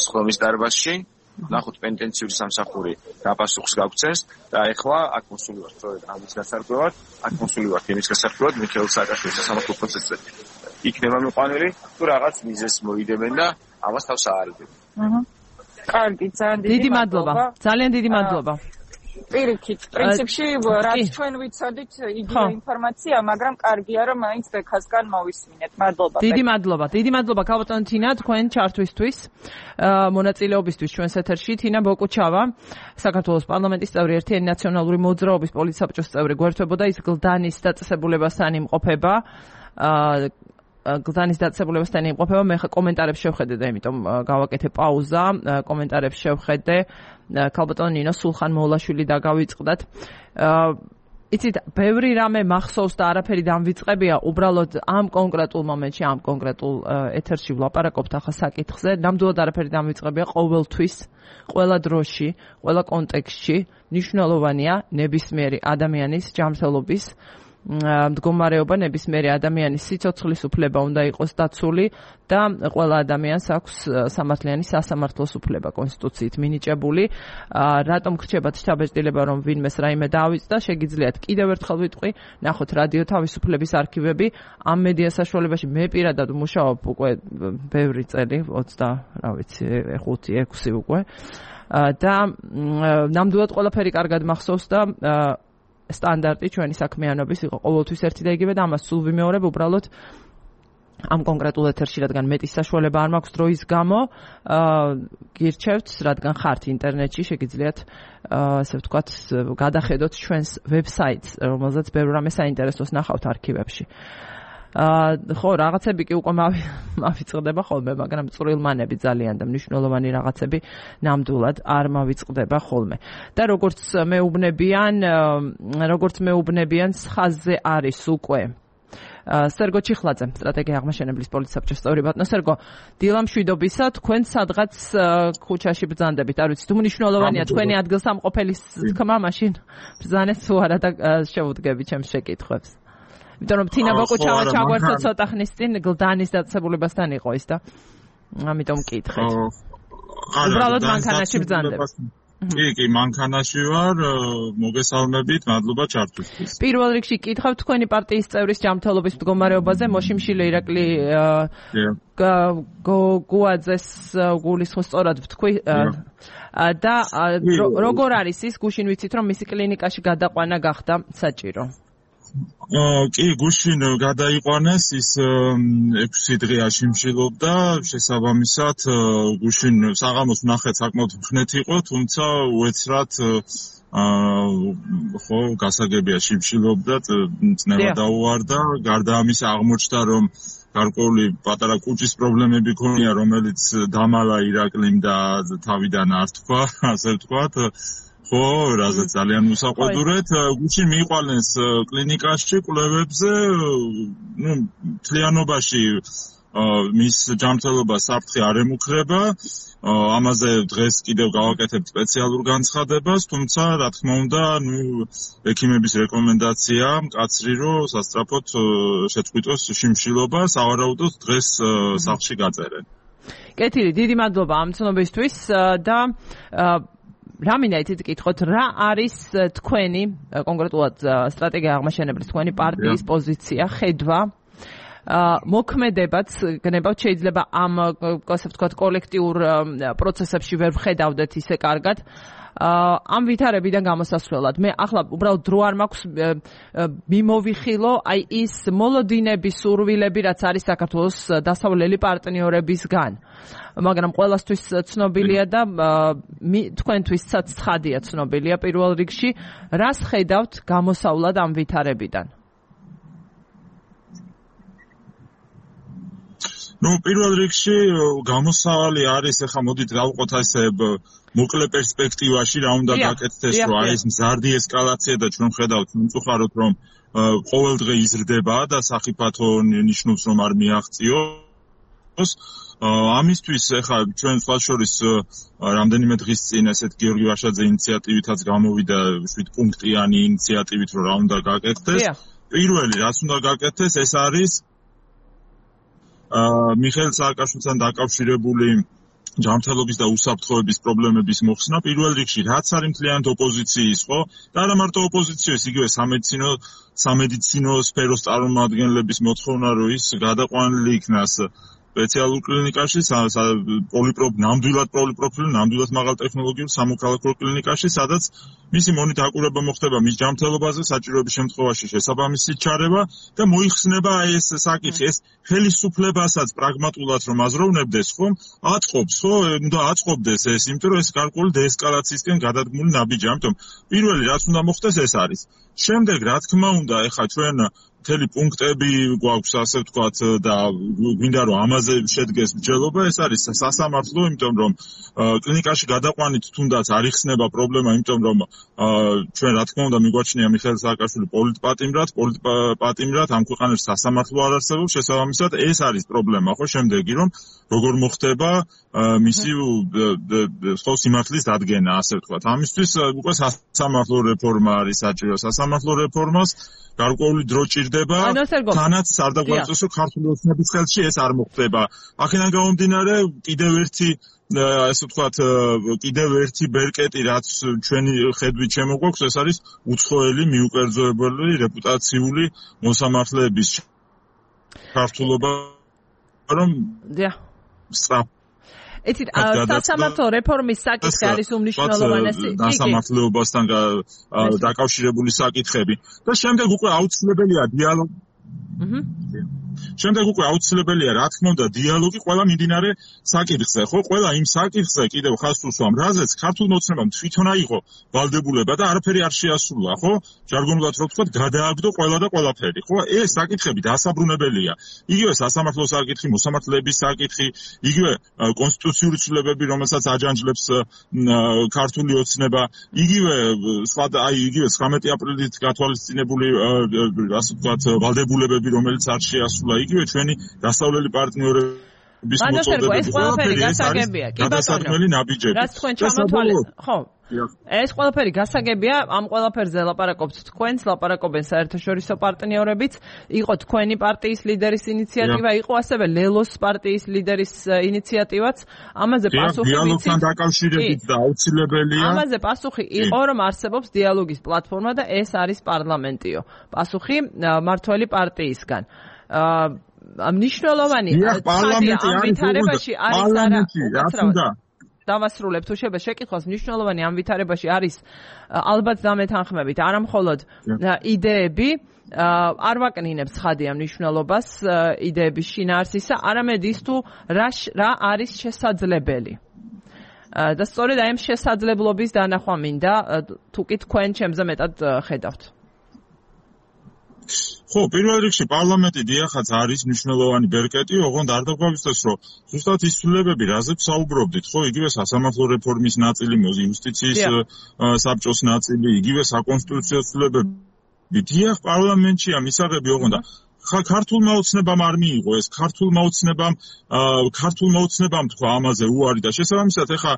C: სხდომის დარბაზში. ნახოთ პენტენციური სამსახური რა პასუხს გაგვცეს და ეხლა აქ მოსული ვართ სწორედ ამის გასარკვევად, აქ მოსული ვართ იმის გასარკვევად მიხეილ სააკაშვილის სასამართლო პროცესზე იქნება მიყვანილი თუ რაღაც მიზეზს მოიდებენ და ამას თავს აარიდებენ.
B: კარგი, ძალიან
A: დიდი მადლობა. ძალიან დიდი მადლობა.
B: პირიქით, პრინციპში რაც ჩვენ ვიცოდით იგივე ინფორმაცია, მაგრამ კარგია რომ მაინც ბექასგან მოვისმინეთ. მადლობა.
A: დიდი მადლობა. დიდი მადლობა ქალბატონ თინა თქვენ ჩართვისთვის, მონაწილეობისთვის ჩვენს ეთერში. თინა ბოკუჩავა, საქართველოს პარლამენტის წევრი, ერთიანი ნაციონალური მოძრაობის პოლიტსაბჭოს წევრი, გვერდებოდა ის გლდანის დაწესებულებასთან იმყოფება. გლდანის დაწესებულებასთან იმყოფება, მე კომენტარებს შევხედე და იმიტომ გავაკეთე პაუზა, კომენტარებს შევხედე. ქალბატონ ნინო სულხან-მოულაშვილი დაგავიწყდათ. იცით, ბევრი რამე მახსოვს და არაფერი დამვიწყებია, უბრალოდ ამ კონკრეტულ მომენტში, ამ კონკრეტულ ეთერში ვლაპარაკობთ ახლა საკითხზე, ნამდვილად არაფერი დამვიწყებია ყოველთვის, ყველა დროში, ყველა კონტექსტში, მნიშვნელოვანია ნებისმიერი ადამიანის ჯანმრთელობის მდგომარეობა, ნებისმიერი ადამიანის სიცოცხლის უფლება უნდა იყოს დაცული და ყველა ადამიანს აქვს სამართლიანი სასამართლოს უფლება კონსტიტუციით მინიჭებული. რატომ გრჩებათ შთაბეჭდილება რომ ვინმეს რაიმე დაავიწყდა, შეგიძლიათ კიდევ ერთხელ ვიტყვი, ნახოთ რადიო თავისუფლების არქივები, ამ მედია საშუალებაში მე პირადად მუშაობ უკვე ბევრი წელი, 5-6 უკვე და ნამდვილად ყველაფერი კარგად მახსოვს და სტანდარტი ჩვენი საქმიანობის იყო ყოველთვის ერთი და იგივე და ამას სულ ვიმეორებ უბრალოდ ამ კონკრეტულ ეთერში, რადგან მეტის საშუალება არ მაქვს დროის გამო, გირჩევთ, რადგან ხართ ინტერნეტში, შეგიძლიათ ასე ვთქვათ, გადახედოთ ჩვენს ვებსაიტს, რომელზეც ბევრ რამე საინტერესოს ნახავთ არქივებში. ხო, რაღაცები კი უკვე მავიწყდება ხოლმე, მაგრამ წვრილმანები ძალიან და მნიშვნელოვანი რაღაცები ნამდვილად არ მავიწყდება ხოლმე. და როგორც მეუბნებიან, ხაზზე არის უკვე სერგო ჩიხლაძე, სტრატეგია აღმაშენებლის პოლიტსაბჭოს წევრი. ბატონო სერგო, დილამშვიდობისა, თქვენ სადღაც ქუჩაში ბრძანდებით, არ ვიცი, თუ მნიშვნელოვანია თქვენი ადგილსამყოფელის თქმა, მაშინ ბრძანეთ თუ არა და შევუდგები ჩემს შეკითხვებს. იმიტომ რომ თინა ბოკუჩავა ჩაგვერთო ცოტა ხნის წინ გლდანის დაწესებულებასთან იყო ის და ამიტომ მკითხეთ. უბრალოდ მანქანაში ბრძანდებით.
D: კი, მანქანაში ვარ, მოგესალმებით, მადლობა ჩართვისთვის.
A: პირველ რიგში კითხავ თქვენი პარტიის წევრის ჯანმრთელობის მდგომარეობაზე, მოშიმშილე ირაკლი გუაძეს გულისხმობს სწორად ვთქვი და როგორ არის ის, გუშინ ვიცით რომ მისი კლინიკაში გადაყვანა გახდა საჭირო.
D: კი, გუშინ გადაიყვანეს, ის 6 დღე აშიმშილობდა, შესაბამისად გუშინ საღამოს ნახეთ საკმაოდ მხნეთი იყო, თუმცა უეცრად ხო, გასაგებია შიმშილობდა, წნევა დაუვარდა, გარდა ამისა აღმოჩნდა, რომ გარკვეული პატარა კუჭის პრობლემები ქონია, რომელიც დამალა ირაკლიმ და თავიდან არ თქვა, ასე ვთქვათ. ხო, რაზეც ძალიან უსაყვედურეთ. გუშინ მიიყვანეს კლინიკაში კვლევებზე, მთლიანობაში მის ჯანმრთელობას საფრთხე არ ემუქრება. ამაზე დღეს კიდევ გავაკეთებთ სპეციალურ განცხადებას, თუმცა რა თქმა უნდა, ექიმების რეკომენდაცია მკაცრი, რომ სასწრაფოდ შეწყვიტოს შიმშილობა, სავარაუდოდ დღეს სახლში გაწერენ.
A: კეთილი, დიდი მადლობა ამ ცნობისთვის და რა მინდა იცით გითხოთ, რა არის თქვენი კონკრეტულად სტრატეგია აღმაშენებლის თქვენი პარტიის პოზიცია, ხედვა, მოქმედებაც გნებავთ, შეიძლება ამ ასე ვთქვათ კოლექტიურ პროცესებში ვერ ვხედავდეთ ისე კარგად. ამ ვითარებიდან გამოსასვლელად მე ახლა უბრალოდ დრო არ მაქვს მიმოვიხილო აი ის მოლოდინები, სურვილები, რაც არის საქართველოს დასავლელი პარტნიორებისგან. მაგრამ ყველასთვის ცნობილია და თქვენთვისაც ცხადია ცნობილია პირველ რიგში, რას ხედავთ გამოსავლად ამ ვითარებიდან?
D: ნუ პირველ რიგში გამოსავალი არის, ახლა მოდით გავყოთ ესე მოკლე პერსპექტივაში რა უნდა გაკეთდეს, რომ აი ეს მზარდი ესკალაცია და ჩვენ ხედავთ მწუხაროდ რომ ყოველ დღე იზრდება და სახიფათო ნიშნავს რომ არ მიაღწიოს. ამისთვის ახლა ჩვენ სხვა შორის რამდენიმე დღის წინ ესეთ გიორგი ვაშაძე ინიციატივითაც გამოვიდა 7 პუნქტიანი ინიციატივით რომ რა უნდა გაკეთდეს. პირველი რაც უნდა გაკეთდეს ეს არის მიხეილ სააკაშვილთან დაკავშირებული ჯანმრთელობის და უსაფრთხოების პრობლემების მოხსნა პირველ რიგში რაც არის მთლიანად ოპოზიციის ხო და არა მარტო ოპოზიციის იგივე სამედიცინო სფეროს წარმომადგენლების მოთხოვნა რომ ის გადაყვანილი იქნას სპეციალურ კლინიკაში ნამდვილად პოლიპროფილ ნამდვილად მაღალ ტექნოლოგიურ სამოქალაქო კლინიკაში სადაც მისი მონით აკურება მოხდება მის ჯანმრთელობაზე საჭიროების შემთხვევაში შესაბამისი ჩარევა და მოიხსნება ეს საკითხი ეს ხელისუფლებასაც პრაგმატულად რომ აზროვნებდეს ხომ აწყობს ხო უნდა აწყობდეს ეს იმიტომ რომ ეს გარკვეული დეესკალაციისკენ გადადგმული ნაბიჯი ამიტომ პირველი რაც უნდა მოხდეს ეს არის შემდეგ რა თქმა უნდა ეხლა ჩვენ მთელი პუნქტები გვაქვს ასე ვთქვათ და გვინდა რომ ამაზე შედგეს მსჯელობა ეს არის სასამართლო იმიტომ რომ კლინიკაში გადაყვანით თუნდაც არ იხსნება პრობლემა იმიტომ რომ ჩვენ რა თქმა უნდა მიგვაჩნია მიხეილ სააკაშვილი პოლიტპატიმრად ამ ქვეყანაში სასამართლო არ არსებობს შესაბამისად ეს არის პრობლემა ხო შემდეგი რომ როგორ მოხდება მისი ხო სიმართლის დადგენა ასე ვთქვათ ამისთვის უკვე სასამართლო რეფორმა არის საჭირო სასამართლო რეფორმას გარკვეული დრო ჭირდება თანაც არ დაგვაწესო ქართული ოცნების ხელში ეს არ მოხდება აქედან გამომდინარე კიდევ ერთი ბერკეტი რაც ჩვენი ხედვით შემოგვაქვს ეს არის უცხოელი მიუკერძოებელი რეპუტაციული მოსამართლეების ქართულობა რომ
A: იცით სასამართლო რეფორმის საკითხი არის უმნიშვნელოვანესი
D: სასამართლოებასთან დაკავშირებული საკითხები და შემდეგ უკვე აუცილებელია დიალოგი შემდეგ უკვე აუცილებელია რა თქმა უნდა დიალოგი ყველა მიმდინარე საკითხზე ხო ყველა იმ საკითხზე კიდევ ხაზს უსვამ რაზეც ქართულმა ოცნებამ თვითონ აიღო ვალდებულება და არაფერი არ შეასრულა ხო ჟარგონულად რო ვთქვათ გადააგდო ყველა და ყველაფერი ხო ეს საკითხები დასაბრუნებელია იგივე სასამართლო საკითხი მოსამართლეების საკითხი იგივე კონსტიტუციური ცვლილებები რომელსაც აჯანჯლებს ქართული ოცნება იგივე სხვა აი იგივე 19 აპრილით გათვალისწინებული ასე ვთქვათ ვალდებულებები რომელიც არ შეასრულა იგივე ჩვენი დასავლელი პარტნიორების
A: მოწოდებები ეს ყველაფერი გასაგებია კი ბატონო რაც თქვენ ჩამოთვალეთ ხო ეს ყველაფერი გასაგებია ამ ყველაფერზე ლაპარაკობთ თქვენს ლაპარაკობენ საერთაშორისო პარტნიორებიც იყო თქვენი პარტიის ლიდერის ინიციატივა იყო ასევე ლელოს პარტიის ლიდერის ინიციატივაც ამაზე პასუხი
D: დიალოგთან დაკავშირებით და აუცილებელია
A: ამაზე პასუხი იყო რომ არსებობს დიალოგის პლატფორმა და ეს არის პარლამენტიო პასუხი მართველი პარტიისგან მნიშვნელოვანი
D: პარლამენტი
A: ამ ვითარებაში არის არა დავასრულებ თუ შეიძლება შეკითხვას მნიშვნელოვანი ამ ვითარებაში არის ალბათ დამეთანხმებით არამხოლოდ იდეები არ ვაკნინებს ხადი ამ მნიშვნელობას იდეების შინაარსისა არამედ ის თუ რა არის შესაძლებელი და სწორედ აი ამ შესაძლებლობის დანახვა მინდა თუ კი თქვენ ჩემზე მეტად ხედავთ
D: ხო, პირველ რიგში პარლამენტი დიახაც არის მნიშვნელოვანი ბერკეტი, ოღონდ არ დაგვაგვისწროს, რომ ზუსტად ის ცვლილებები, რაზეც საუბრობდით, ხო, იგივე სასამართლო რეფორმის ნაწილი, იუსტიციის საბჭოს ნაწილი, იგივე საკონსტიტუციო ცვლილებები, დიახ, პარლამენტშია მისაღები, ოღონდ ქართულმა ოცნებამ არ მიიღო ეს ქართულმა ოცნებამ თქვა ამაზე უარი და შესაბამისად ეხა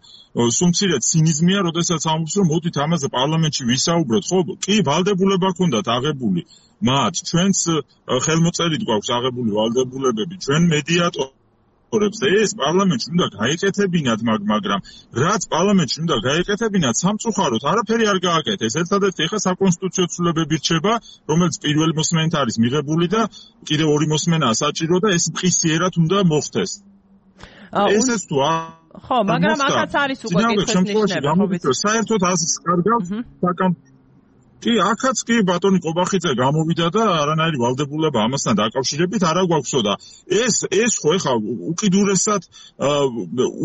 D: სუმცირე ცინიზმია, როდესაც ამბობს რომ მოდით ამაზე პარლამენტში ვისაუბროთ, ხო, კი ვალდებულება ჰქონდათ აღებული მათ ჩვენს ხელმოწერით გვაქვს აღებული ვალდებულებები ჩვენ მედიატორებს ეს პარლამენტში უნდა გაეკეთებინათ მაგრამ რაც პარლამენტში უნდა გაეკეთებინათ სამწუხაროდ არაფერი არ გააკეთეს ერთადერთი ეხა საკონსტიტუციო ცვლილებები რჩება რომელიც პირველი მოსმენით არის მიღებული და კიდევ ორი მოსმენაა საჭირო და ეს მყისიერად უნდა მოხდეს ესეც თუ
A: ხო მაგრამ ახაც არის უკვე კითხვის ნიშნება
D: საერთოდ ასე კარგავს კი, აქაც კი ბატონი კობახიძე გამოვიდა და არანაირი ვალდებულება ამასთან დაკავშირებით არა გვაქვსო და ეს ხო ეხა უკიდურესად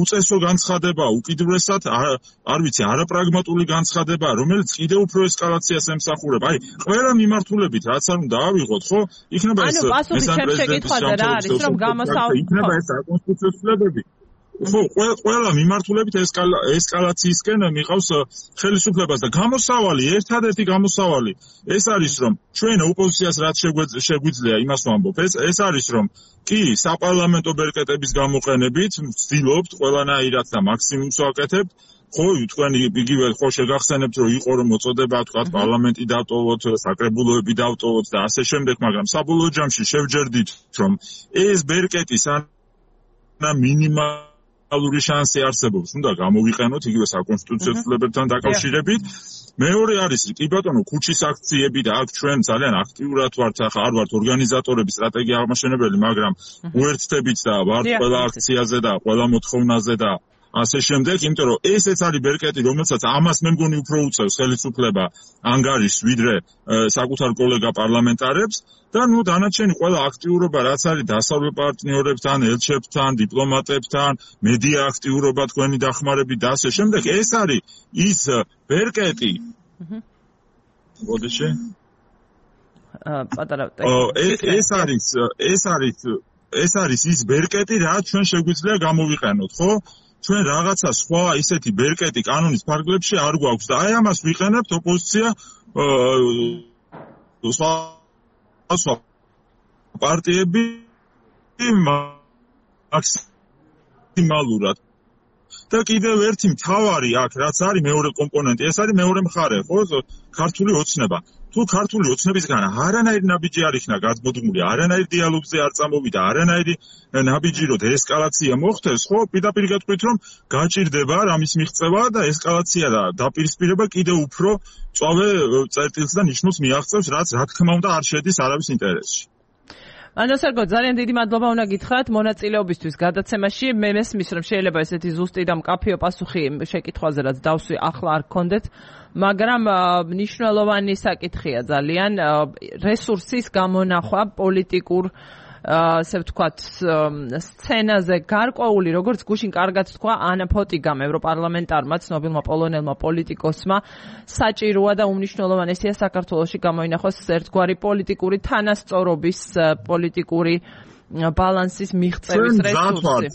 D: უწესო განცხადება, უკიდურესად არ ვიცი, არაპრაგმატული განცხადება, რომელიც კიდევ უფრო ესკალაციას ემსახურება. აი, ყველა მიმართულებით რაც არ უნდა ავიღოთ, ხო? იქნება ეს
A: მესამე პრეზიდენტის რა არის, რომ
D: იქნება ეს საკონსტიტუციო ცვლილებები. ხო, ყველა მიმართულებით ესკალაციისკენ მიყავს ხელისუფლებას და გამოსავალი, ერთადერთი გამოსავალი ეს არის, რომ ჩვენ ოპოზიციას რაც შეგვიძლია იმას ვამბობ, ეს არის, რომ კი, საპარლამენტო ბერკეტების გამოყენებით ვცდილობთ ყველანაირად და მაქსიმუმს ვაკეთებთ. ხო, თქვენ იგივე ხო შეგახსენებთ, რომ იყო რომ მოწოდება თქვა პარლამენტი დავტოვოთ, საკრებულოები დავტოვოთ და ასე შემდეგ, მაგრამ საბოლოო ჯამში შევჯერდით, რომ ეს ბერკეტი სანა მინიმალური შანსი არსებობს, უნდა გამოვიყენოთ იგივე საკონსტიტუციო ცვლილებებთან დაკავშირებით. მეორე არის, კი ბატონო, ქუჩის აქციები და აქ ჩვენ ძალიან აქტიურად ვართ, ახლა არ ვართ ორგანიზატორები, სტრატეგია აღმაშენებელი, მაგრამ უერთდებით და ვართ ყველა აქციაზე და ყველა მოთხოვნაზე და ასე შემდეგ, იმიტომ რომ ესეც არის ბერკეტი, რომელსაც ამას მე მგონი უფრო უწევს ხელისუფლება ანგარიშს, ვიდრე საკუთარ კოლეგა პარლამენტარებს და დანარჩენი ყველა აქტიურობა, რაც არის დასავლელ პარტნიორებთან, ელჩებთან, დიპლომატებთან, მედია აქტიურობა, თქვენი დახმარებით და ასე შემდეგ, ეს არის ის ბერკეტი. მოდიში.
A: პატარა
D: ეს არის ის ბერკეტი, რაც ჩვენ შეგვიძლია გამოვიყენოთ, ხო? ჩვენ რაღაცა სხვა ისეთი ბერკეტი კანონის ფარგლებში არ გვაქვს და აი ამას ვიყენებთ ოპოზიცია სხვა პარტიები მაქსიმალურად და კიდევ ერთი მთავარი აქ რაც არის მეორე კომპონენტი, ეს არის მეორე მხარე, ხო? ქართული ოცნება. თუ ქართული ოცნებისგან არანაირი ნაბიჯი არ იქნა გაზბოდმული, არანაირი დიალოგზე არ წამოვიდა, არანაირი ნაბიჯი რომ ესკალაცია მოხდეს, ხო, პირდაპირ გეტყვით რომ გაჭირდება რამის მიღწევა და ესკალაცია და დაპირისპირება კიდევ უფრო წვავე წერტილს და ნიშნულს მიაღწევს, რაც რა თქმა უნდა არ შედის არავის ინტერესში.
A: ანასერგო, ძალიან დიდი მადლობა უნდა გითხრათ მონაწილეობისთვის გადაცემაში. მე მესმის რომ შეიძლება ესეთი ზუსტი და მკაფიო პასუხი შეკითხვაზე რაც დავსვი ახლა არ გქონდეთ, მაგრამ მნიშვნელოვანი საკითხია ძალიან რესურსის გამონახვა პოლიტიკურ ასე ვთქვათ სცენაზე გარკვეული, როგორც გუშინ კარგად თქვა ანა ფოტიგამ, ევროპარლამენტარმა, ცნობილმა პოლონელმა პოლიტიკოსმა, საჭიროა და უმნიშვნელოვანესია საქართველოში გამოინახოს ერთგვარი პოლიტიკური თანასწორობის, პოლიტიკური ბალანსის მიღწევის რესურსი.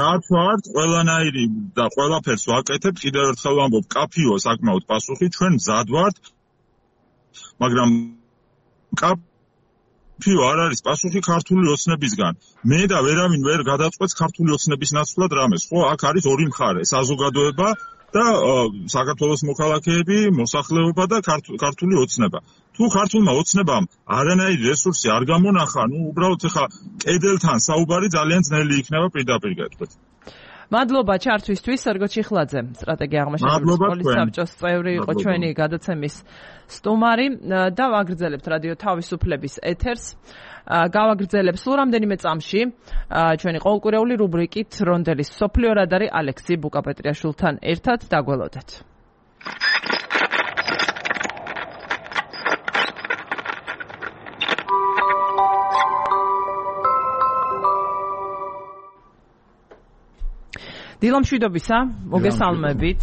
D: დავთვალთ ყველანაირი და ყველაფერს ვაკეთებთ, კიდევ ერთხელ ვამბობ, კაფიო საკმაოდ პასუხი, ჩვენ მზად ვართ, მაგრამ კაფიო არ არის პასუხი ქართული ოცნებისგან. მე და ვერავინ ვერ გადაწყვეტს ქართული ოცნების ნაცვლად რამეს, ხო, აქ არის ორი მხარე, საზოგადოება და საქართველოს მოქალაქეები, მოსახლეობა და ქართული ოცნება. თუ ქართულმა ოცნებამ არანაირი რესურსი არ გამონახა, უბრალოდ ხა კედელთან საუბარი ძალიან ძნელი იქნება პირდაპირ გეტყვით.
A: მადლობა ჩართვისთვის, სერგო ჩიხლაძე, სტრატეგია აღმაშენებელი სკოლის საბჭოს წევრი იყო ჩვენი გადაცემის სტუმარი და ვაგრძელებთ რადიო თავისუფლების ეთერს. გავაგრძელებ სულ რამდენიმე წამში ჩვენი ყოველკვირეული რუბრიკით რონდელის სოფლიო რადარი ალექსი ბუკაპეტრიაშვილთან ერთად დაგველოდეთ. დილამ შვიდობისა, მოგესალმებით.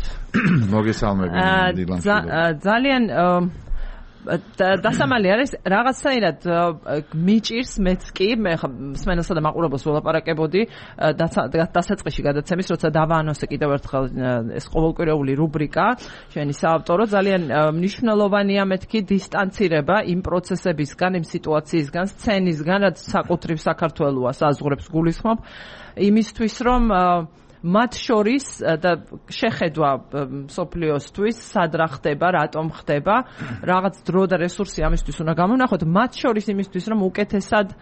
E: მოგესალმებით დილამ შვიდობისა.
A: ძალიან დასამალი არის რაღაცაირად მიჭირს მეც კი, მე მსმენელსა და მაყურებელს ველაპარაკებოდი დასაწყისში გადაცემის, როცა დავაანონსე კიდევ ერთხელ ეს ყოველკვირეული რუბრიკა, ჩვენი საავტორო, ძალიან მნიშვნელოვანია მეთქი დისტანცირება იმ პროცესებისგან, იმ სიტუაციისგან, სცენისგან, რაც საკუთრივ საქართველოა საზღვრებს გულისხმობ, იმისთვის რომ მათ შორის და შეხედვა სოფლიოსთვის სად რა ხდება, რატომ ხდება, რაღაც დრო და რესურსი ამისთვის უნდა გამონახოთ, მათ შორის იმისთვის რომ უკეთესად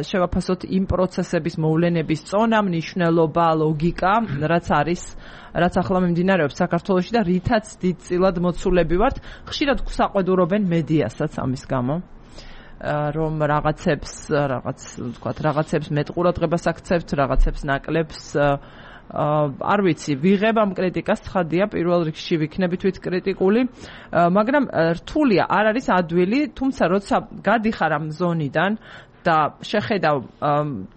A: შევაფასოთ იმ პროცესების მოვლენების წონა, მნიშვნელობა, ლოგიკა, რაც ახლა მიმდინარეობს საქართველოში და რითაც დიდწილად მოცულები ვართ. ხშირად გვსაყვედურობენ მედიასაც ამის გამო. რომ რაღაცებს მეტყურადღებას აქცევთ, რაღაცებს ნაკლებს არ ვიცი, ვიღებ ამ კრიტიკას, ცხადია, პირველ რიგში ვიქნები თვით კრიტიკული, მაგრამ რთულია, არ არის ადვილი, თუმცა როცა გადიხარ ამ ზონიდან და შეხედავ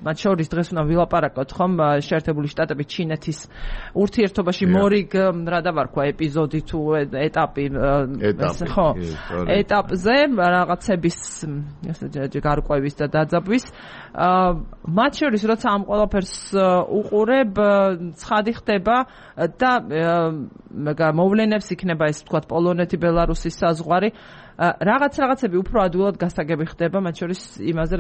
A: მათ შორის დღეს უნდა ვილაპარაკოთ ხომ შეერთებული შტატები ჩინეთის ურთიერთობაში მორიგ რა დავარქვა ეპიზოდი თუ ეტაპი ხო ეტაპზე რაღაცების გარკვევის და დაძაბვის მათ შორის როცა ამ ყველაფერს უყურებ ცხადი ხდება და მოვლენებს იქნება ეს თქვა პოლონეთი ბელარუსის საზღვარი რაღაცები უფრო ადვილად გასაგები ხდება მათ შორის იმაზე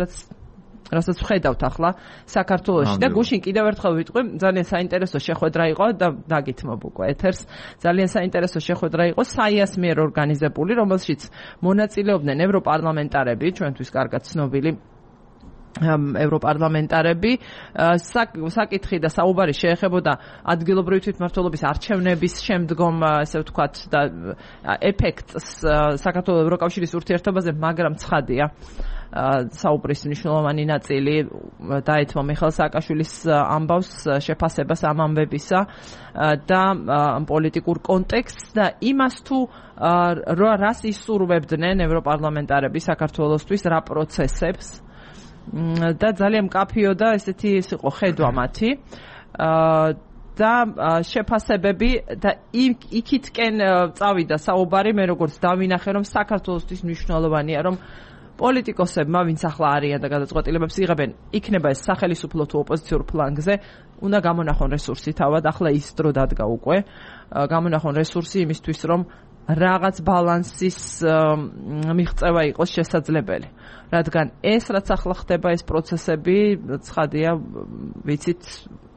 A: რასაც ვხედავთ ახლა საქართველოში და გუშინ კიდევ ერთხელ ვიტყვი ძალიან საინტერესო შეხვედრა იყო და დაგითმობ უკვე ეთერს ძალიან საინტერესო შეხვედრა იყო საიას მიერ ორგანიზებული რომელშიც მონაწილეობდნენ ევროპარლამენტარები ჩვენთვის კარგად ცნობილი ევროპარლამენტარები საკითხი და საუბარი შეეხებოდა ადგილობრივი თვითმმართველობის არჩევნების შემდგომ ესე ვთქვათ და ეფექტს საქართველოს ევროკავშირის ურთიერთობაზე მაგრამ ცხადია საუბრის მნიშვნელოვანი ნაწილი დაეთმო მიხეილ სააკაშვილის ამბავს შეფასებას ამ ამბებისა და პოლიტიკურ კონტექსტს და იმას თუ რას ისურვებდნენ ევროპარლამენტარები საქართველოსთვის რა პროცესებს და ძალიან მკაფიო და ესეთი ის იყო ხედვა მათი და შეფასებები და იქითკენ წავიდა საუბარი მე როგორც დავინახე რომ საქართველოსთვის მნიშვნელოვანია რომ პოლიტიკოსებმა ვინც ახლა არიან და გადაწყვეტილებებს იღებენ იქნება ეს სახელმწიფო თუ ოპოზიციურ ფლანგზე უნდა გამონახონ რესურსი თავად ახლა ის დრო დადგა უკვე გამონახონ რესურსი იმისთვის რომ რაღაც ბალანსის მიღწევა იყოს შესაძლებელი რადგან ეს რაც ახლა ხდება ეს პროცესები ცხადია ვიცით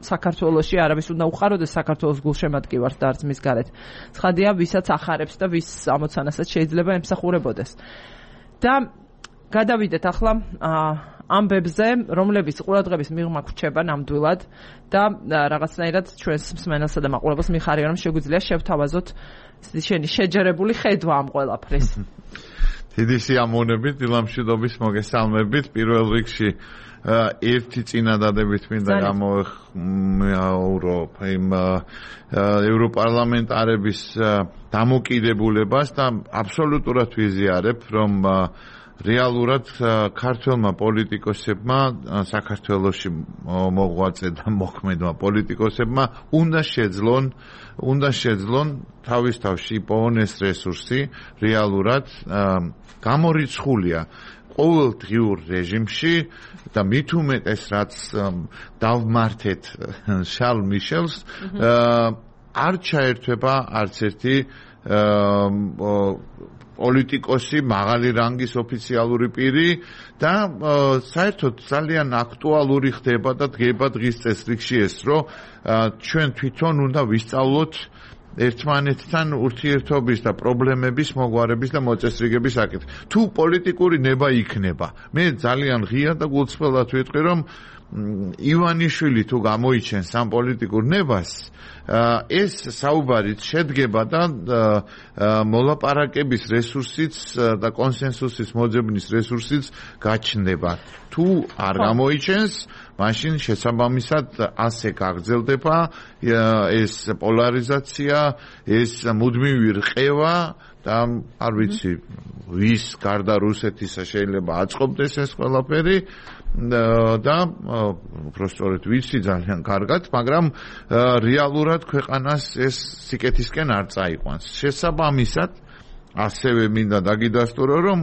A: საქართველოში არავის უნდა უყაროდეს საქართველოს გულშემატკივარს და არც მის გარეთ ცხადია ვისაც ახარებს და ვის ამოცანასაც შეიძლება ემსახურებოდეს და გადავიდეთ ახლა ამბებზე რომლებიც ყურადღების მიღმა გვჩება ნამდვილად და რაღაცნაირად ჩვენს მსმენელსა და მაყურებელს მიხარია რომ შეგვიძლია შევთავაზოთ შენი შეჯერებული ხედვა ამ ყველაფრის
E: დიდი სიამოვნებით დილამშვიდობის მოგესალმებით პირველ რიგში ერთი წინადადებით მინდა გამოვხმაურო იმ ევროპარლამენტარების დამოკიდებულებას და აბსოლუტურად ვიზიარებ რომ რეალურად ქართველმა პოლიტიკოსებმა საქართველოში მოღვაწე და მოქმედმა პოლიტიკოსებმა უნდა შეძლონ თავის თავში იპოვონ ეს რესურსი რეალურად გამორიცხულია ყოველდღიურ რეჟიმში და მით უმეტეს რაც დავმართეთ შარლ მიშელს არ ჩაერთვება არც ერთი პოლიტიკოსი მაღალი რანგის ოფიციალური პირი და საერთოდ ძალიან აქტუალური ხდება და დგება დღის წესრიგში ეს რომ ჩვენ თვითონ უნდა ვისწავლოთ ერთმანეთთან ურთიერთობის და პრობლემების მოგვარების და მოწესრიგების საკითხი. თუ პოლიტიკური ნება იქნება, მე ძალიან ღია და გულწრფელად ვიტყვი რომ ივანიშვილი თუ გამოიჩენს ამ პოლიტიკურ ნებას ეს საუბარით შედგება და მოლაპარაკების რესურსიც და კონსენსუსის მოძებნის რესურსიც გაჩნდება. თუ არ გამოიჩენს, მაშინ შესაბამისად ასე გაგრძელდება ეს პოლარიზაცია, ეს მუდმივი რყევა და არ ვიცი ვის გარდა რუსეთისა შეიძლება აწყობდეს ეს ყველაფერი და უბრალოდ ვიცი ძალიან კარგად, მაგრამ რეალურად ქვეყანას ეს სიკეთისკენ არ წაიყვანს. შესაბამისად, ასევე მინდა დაგიდასტურო, რომ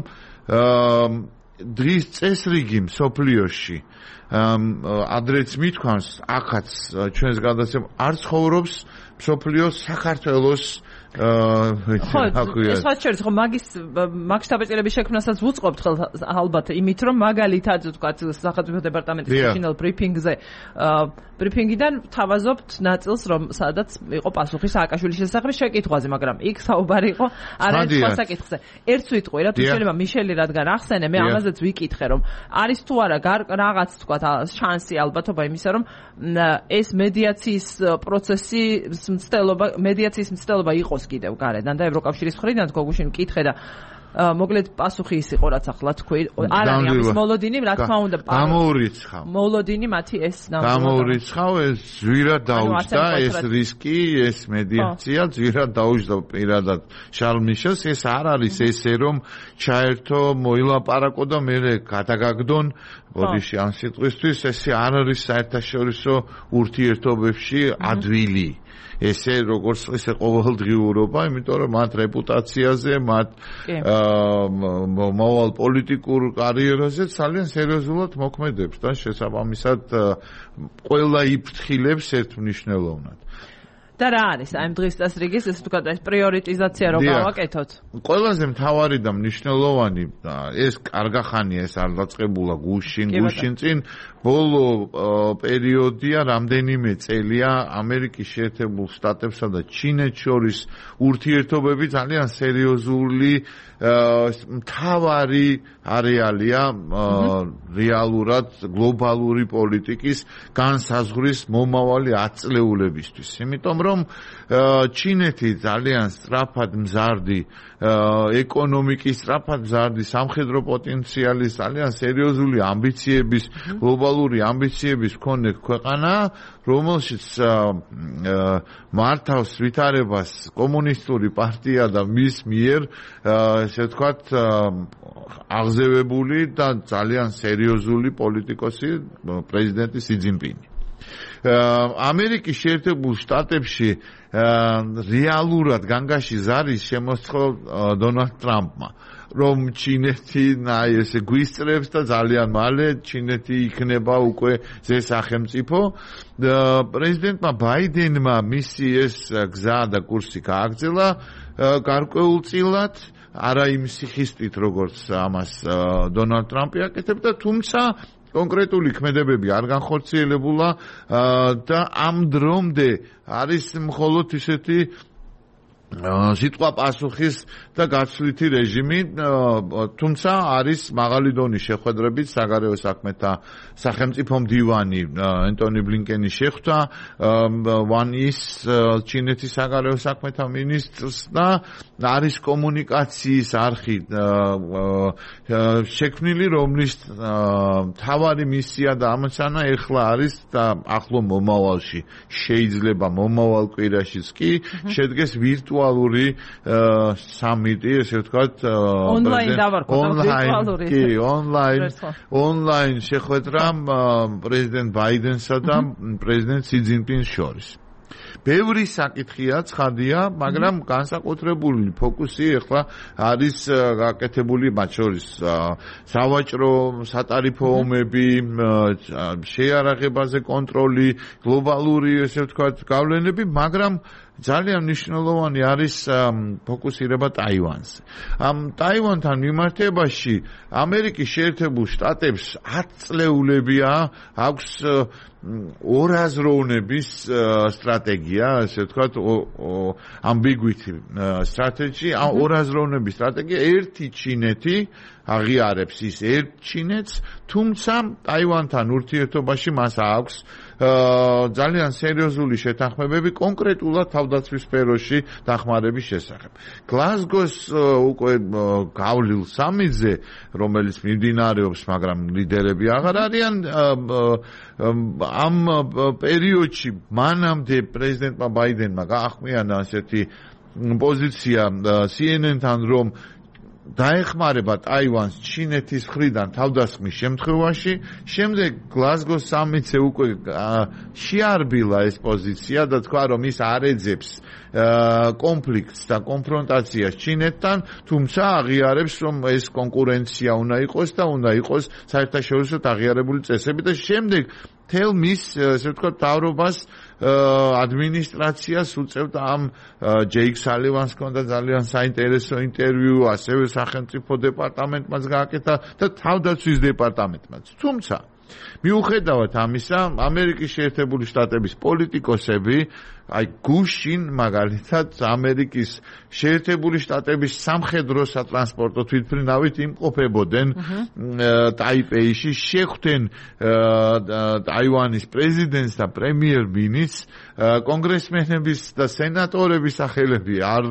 E: დღის წესრიგი მსოფლიოში ადრეც მithქვამს, ახაც ჩვენს გადაცემ არ ცხოვრობს მსოფლიოს საქართველოს
A: ეს საერთოდ ხო მაგის დაბეჭდების შექმნასაც ვუწყობთ ალბათ იმით რომ მაგალითად ვთქვათ სახელმწიფო დეპარტამენტის ფინალ ბრიფინგზე ბრიფინგიდან თავაზობთ ნაწილს რომ სადაც იყო პასუხი სააკაშვილის შესახებ შეკითხვაზე მაგრამ იქ საუბარი იყო არაერთ სხვა საკითხზე ერთ ვიტყვი რა თუ შეიძლება მიშელი რადგან ახსენე მე ამაზეც ვიკითხე რომ არის თუ არა რაღაც ვთქვათ შანსი ალბათობა იმისა რომ ეს მედიაციის პროცესი მცდელობა იყო კიდევ გარედან და ევროკავშირის მხრიდან გუშინ მკითხე და მოკლედ პასუხი ის იყო რაც ახლა თქვი არ არის ამის მოლოდინი რა თქმა უნდა
E: გამოურიცხავ
A: მოლოდინი მათი ეს
E: გამოურიცხავ ეს ზვირად დაუჯდა ეს რისკი ეს მედიაცია ზვირად დაუჯდა პირადად შარლ მიშელს ეს არ არის ესე რომ ჩაერთო მოილაპარაკო და მე გადაგაგდონ ბოდიში ამ სიტყვისთვის ესე არ არის საერთაშორისო ურთიერთობებში ადვილი ესე როგორც ესე ყოველდღიურობა, იმიტომ რომ მათ რეპუტაციაზე, მათ მოვალ პოლიტიკურ კარიერაზე ძალიან სერიოზულად მოქმედებს და შესაბამისად ყველა იფრთხილებს ერთმნიშვნელოვნად.
A: და რა არის აი ამ დღის წესრიგის ეს თქვა ეს პრიორიტიზაცია რომ გავაკეთოთ?
E: ყველაზე მთავარი და მნიშვნელოვანი ეს კარგახანია ეს არ დაწყებულა გუშინ წინ ბოლო პერიოდია რამდენიმე წელია ამერიკის შეერთებულ შტატებსა და ჩინეთს შორის ურთიერთობები ძალიან სერიოზული მთავარი არეალია რეალურად გლობალური პოლიტიკის განსაზღვრის მომავალი 10 წლეულებისთვის. იმიტომ რომ ჩინეთი ძალიან სწრაფად მზარდი ეკონომიკის სწრაფად მზარდი სამხედრო პოტენციალის ძალიან სერიოზული ამბიციების გლობალური ამბიციების მქონე ქვეყანა რომელშიც მართავს ვითარებას კომუნისტური პარტია და მის მიერ ესე ვთქვათ აღზევებული და ძალიან სერიოზული პოლიტიკოსი პრეზიდენტი სი ძინპინი ამერიკის შეერთებულ შტატებში რეალურად განგაში ზარის შემოსწყო დონალდ ტრამპმა რომ ჩინეთი ესე გვისწრებს და ძალიან მალე ჩინეთი იქნება უკვე ზესახელმწიფო პრეზიდენტმა ბაიდენმა მისი ეს გზა და კურსი გააგრძელა გარკვეულწილად არა იმ სიხისტით როგორც ამას დონალდ ტრამპი აკეთებდა თუმცა კონკრეტული ქმედებები არ განხორციელებულა და ამ დრომდე არის მხოლოდ ისეთი სიტყვა პასუხის და გაცვლითი რეჟიმი თუმცა არის მაღალი დონის შეხვედრებით საგარეო საქმეთა სახელმწიფო მდივანი ენტონი ბლინკენი შეხვდა ვან ის ჩინეთის საგარეო საქმეთა მინისტრს და არის კომუნიკაციის არხი შექმნილი რომლის თავარი მისია და ამოცანა ეხლა არის და ახლო მომავალში შეიძლება მომავალ კვირაშიც კი შედგეს ვირტუალური სამიტი ესე ვთქვათ ონლაინ შეხვედრა პრეზიდენტ ბაიდენსა და პრეზიდენტ სი ძინპინს შორის ბევრი საკითხია ცხადია მაგრამ განსაკუთრებული ფოკუსი ახლა არის გაკეთებული მათ შორის სავაჭრო სატარიფო ომები შეიარაღებაზე კონტროლი გლობალური ესე ვთქვათ გავლენები მაგრამ ძალიან მნიშვნელოვანი არის ფოკუსირება ტაივანზე. ამ ტაივანთან მიმართებაში ამერიკის შეერთებულ შტატებს 10 წლეულებია აქვს ორაზროვნების სტრატეგია, ასე ვთქვათ, ambiguity strategy, ორაზროვნების სტრატეგია, ერთი ჩინეთი აღიარებს ის ერთ ჩინეთს, თუმცა ტაივანთან ურთიერთობაში მას აქვს ძალიან სერიოზული შეთანხმებები კონკრეტულად თავდაცვის სფეროში დახმარების შესახებ. გლაზგოს უკვე გავლილ სამიტზე, რომელიც მიმდინარეობს, მაგრამ ლიდერები აღარ არიან ამ პერიოდში მანამდე პრეზიდენტმა ბაიდენმა გაახმიანა ასეთი პოზიცია CNN-თან რომ დაეხმარება ტაივანს ჩინეთის მხრიდან თავდასხმის შემთხვევაში, შემდეგ გლაზგოს სამიტზე უკვე შეარბილა ეს პოზიცია და თქვა რომ ის არ ეძებს კონფლიქტს და კონფრონტაციას ჩინეთთან, თუმცა აღიარებს რომ ეს კონკურენცია უნდა იყოს და უნდა იყოს საერთაშორისო აღიარებული წესები და შემდეგ თელ მის ესე ვთქვათ თავრობას ადმინისტრაციას უწევდა ამ ჯეიკ სალივანს ჰქონდა ძალიან საინტერესო ინტერვიუ, ასევე სახელმწიფო დეპარტამენტმაც გააკეთა და თავდაცვის დეპარტამენტმაც. თუმცა მიუხედავად ამისა, ამერიკის შეერთებული შტატების პოლიტიკოსები აი გუშინ მაგალითად ამერიკის შეერთებული შტატების სამხედრო სატრანსპორტო თვითმფრინავით იმყოფებოდნენ ტაიპეიში, შეხვდნენ ტაივანის პრეზიდენტს და პრემიერ-მინისტრს, კონგრესმენების და სენატორების სახელები არ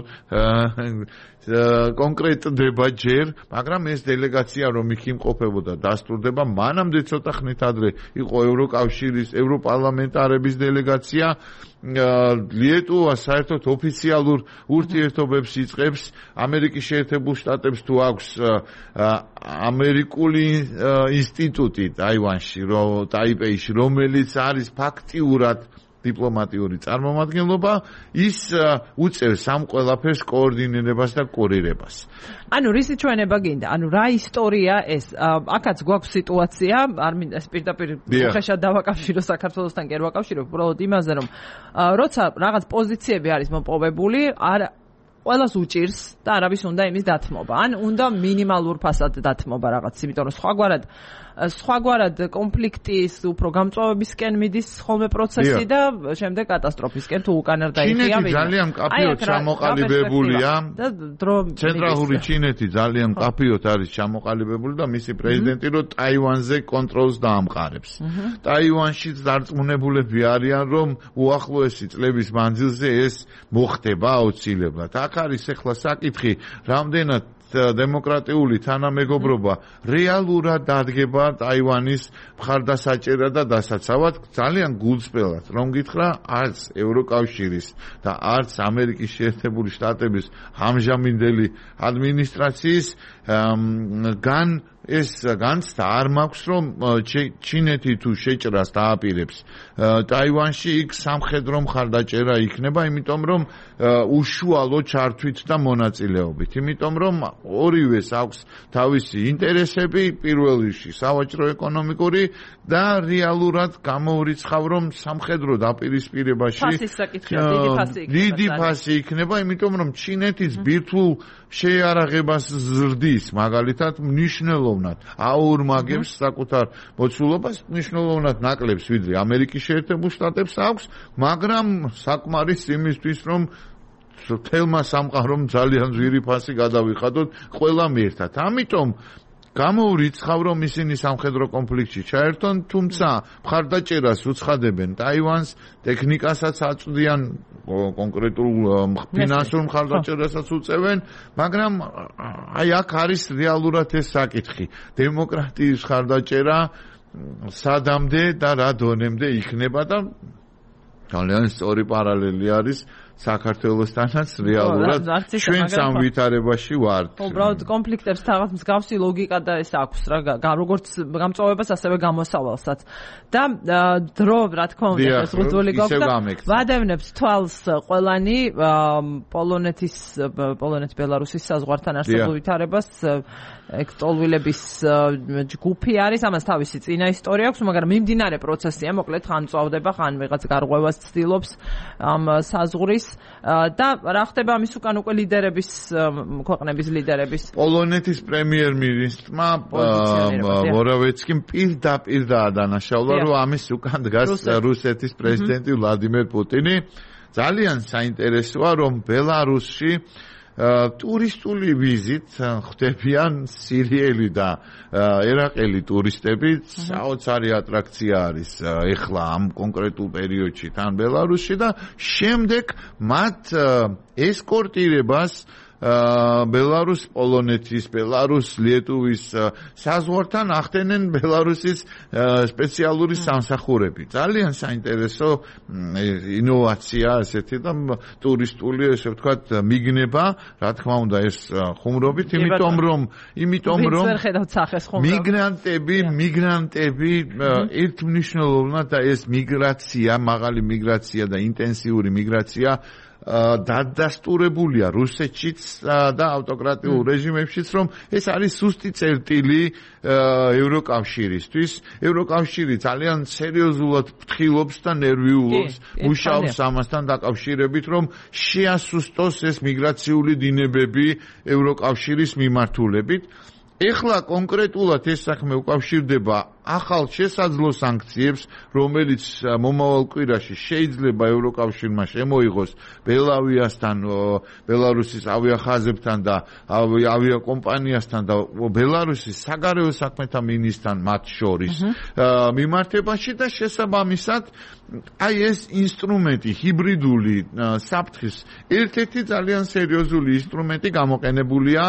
E: კონკრეტდება ჯერ, მაგრამ ეს დელეგაცია რომ იქ იმყოფებოდა დასტურდება, მანამდე ცოტა ხნით ადრე იყო ევროკავშირის, ევროპარლამენტარების დელეგაცია, ლიეტუვა საერთოდ ოფიციალურ ურთიერთობებს იწყებს ამერიკის შეერთებულ შტატებს თუ აქვს ამერიკული ინსტიტუტი ტაივანში, ტაიპეიში, რომელიც არის ფაქტიურად დიპლომატიური წარმომადგენლობა, ის უწევს ამ ყველაფერს კოორდინირებას და კურირებას.
A: ანუ რისი ჩვენება გინდა? ანუ რა ისტორია ეს? აქაც გვაქვს სიტუაცია, არ მინდა ეს პირდაპირ უხეშად დავაკავშირო საქართველოსთან კი არ ვაკავშირებ, უბრალოდ იმაზე, რომ როცა რაღაც პოზიციები არის მოპოვებული, ყველას უჭირს და არავის უნდა იმის დათმობა. ან უნდა მინიმალურ ფასად დათმობა რაღაც, იმიტომ რომ სხვაგვარად კონფლიქტის უფრო გამწვავებისკენ მიდის ხოლმე პროცესი და შემდეგ კატასტროფისკენ თუ უკან არ დაიხია.
E: ჩინეთი ძალიან კაფიოდ ჩამოყალიბებულია და ცენტრალური ჩინეთი ძალიან კაფიოდ არის ჩამოყალიბებული და მისი პრეზიდენტი რო ტაივანზე კონტროლს დაამყარებს. ტაივანში დარწმუნებულები არიან რომ უახლოესი წლების მანძილზე ეს მოხდება აუცილებლად. აქ არის ახლა საკითხი, რამდენად დემოკრატიული თანამეგობრობა რეალურად დადგება ტაივანის მხარდასაჭერად და დასაცავად. ძალიან გულწრფელად რომ გითხრა, არც ევროკავშირის და არც ამერიკის შეერთებული შტატების ამჟამინდელი ადმინისტრაციის ეს განცდა არ მაქვს, რომ ჩინეთი თუ შეჭრას დააპირებს ტაივანში, იქ სამხედრო მხარდაჭერა იქნება, იმიტომ რომ უშუალო ჩართვით და მონაწილეობით. იმიტომ რომ ორივეს აქვს თავისი ინტერესები, პირველ რიგში სავაჭრო-ეკონომიკური და რეალურად გამოურიცხავ, რომ სამხედრო დაპირისპირებაში დიდი ფასი იქნება, იმიტომ რომ ჩინეთის ბირთვულ შეიარაღებას ზრდის, მაგალითად მნიშვნელოვნად აურმაგებს საკუთარ მოცულობას, მნიშვნელოვნად ნაკლებს ვიდრე ამერიკის შეერთებულ შტატებს აქვს, მაგრამ საკმარის იმისთვის, რომ თელმა სამყარომ ძალიან ძვირი ფასი გადავიხადოთ ყველამ ერთად. ამიტომ გამოურიცხავ, რომ ისინი სამხედრო კონფლიქტში ჩაერთონ, თუმცა მხარდაჭერას უცხადებენ ტაივანს, ტექნიკასაც აწვდიან, კონკრეტულ ფინანსურ მხარდაჭერასაც უწევენ, მაგრამ აი აქ არის რეალურად ეს საკითხი. დემოკრატიის მხარდაჭერა სადამდე და რა დონემდე იქნება და ძალიან სწორი პარალელი არის საქართველოსთანაც რეალურად ჩვენს ამ ვითარებაში ვართ.
A: უბრალოდ კონფლიქტებს რაღაც მსგავსი ლოგიკა და ეს აქვს რა, როგორც გამწვავებას, ასევე გამოსავალსაც. და დრო, რა თქმა უნდა, ეს რუძული გვაქვს და ვადევნებს თვალს ყველანი პოლონეთ-ბელარუსის საზღვართან არსებულ ვითარებას. ეგ ტოლვილების ჯგუფი არის, ამას თავისი წინა ისტორია აქვს, მაგრამ მიმდინარე პროცესია, მოკლედ ხან წავდება, ხან ვიღაც გარღვევას ცდილობს ამ საზღვრის და რა ხდება ამის უკან უკვე ლიდერების, ქვეყნების ლიდერების.
E: პოლონეთის პრემიერ-მინისტრმა მოროვეცკიმ პირდაპირ დაადანაშაულა, რომ ამის უკან დგას რუსეთის პრეზიდენტი ვლადიმერ პუტინი. ძალიან საინტერესოა, რომ ბელარუსში ტურისტული ვიზით ხდებიან სირიელი და ერაყელი ტურისტები, საოცარი ატრაქცია არის ეხლა ამ კონკრეტულ პერიოდში თან ბელარუსში და შემდეგ მათ ესკორტირებას ბელარუს პოლონეთის, ბელარუს ლიეტუვის საზღვართან ახდენენ ბელარუსის სპეციალური სამსახურები. ძალიან საინტერესო ინოვაცია ესეთი და ტურისტული, ესე ვთქვათ, მიგნება, რა თქმა უნდა, ეს ხუმრობით, იმიტომ რომ მიგრანტები ერთმნიშვნელოვნად და ეს მიგრაცია, მაღალი მიგრაცია და ინტენსიური მიგრაცია დადასტურებულია რუსეთშიც და ავტოკრატიულ რეჟიმებშიც, რომ ეს არის სუსტი წერტილი ევროკავშირისთვის. ევროკავშირი ძალიან სერიოზულად ფრთხილობს და ნერვიულობს, მუშაობს ამასთან დაკავშირებით, რომ შეასუსტოს ეს მიგრაციული დინებები ევროკავშირის მიმართულებით. ეხლა კონკრეტულად ეს საქმე უკავშირდება ახალ შესაძლო სანქციებს, რომელიც მომავალ კვირაში შეიძლება ევროკავშირმა შემოიღოს ბელავიასთან, ბელარუსის ავიახაზებთან და ავიაკომპანიასთან და ბელარუსის საგარეო საქმეთა მინისტრთან მათ შორის მიმართებაში და შესაბამისად აი ეს ინსტრუმენტი ჰიბრიდული საფრთხის ერთ-ერთი ძალიან სერიოზული ინსტრუმენტი გამოყენებულია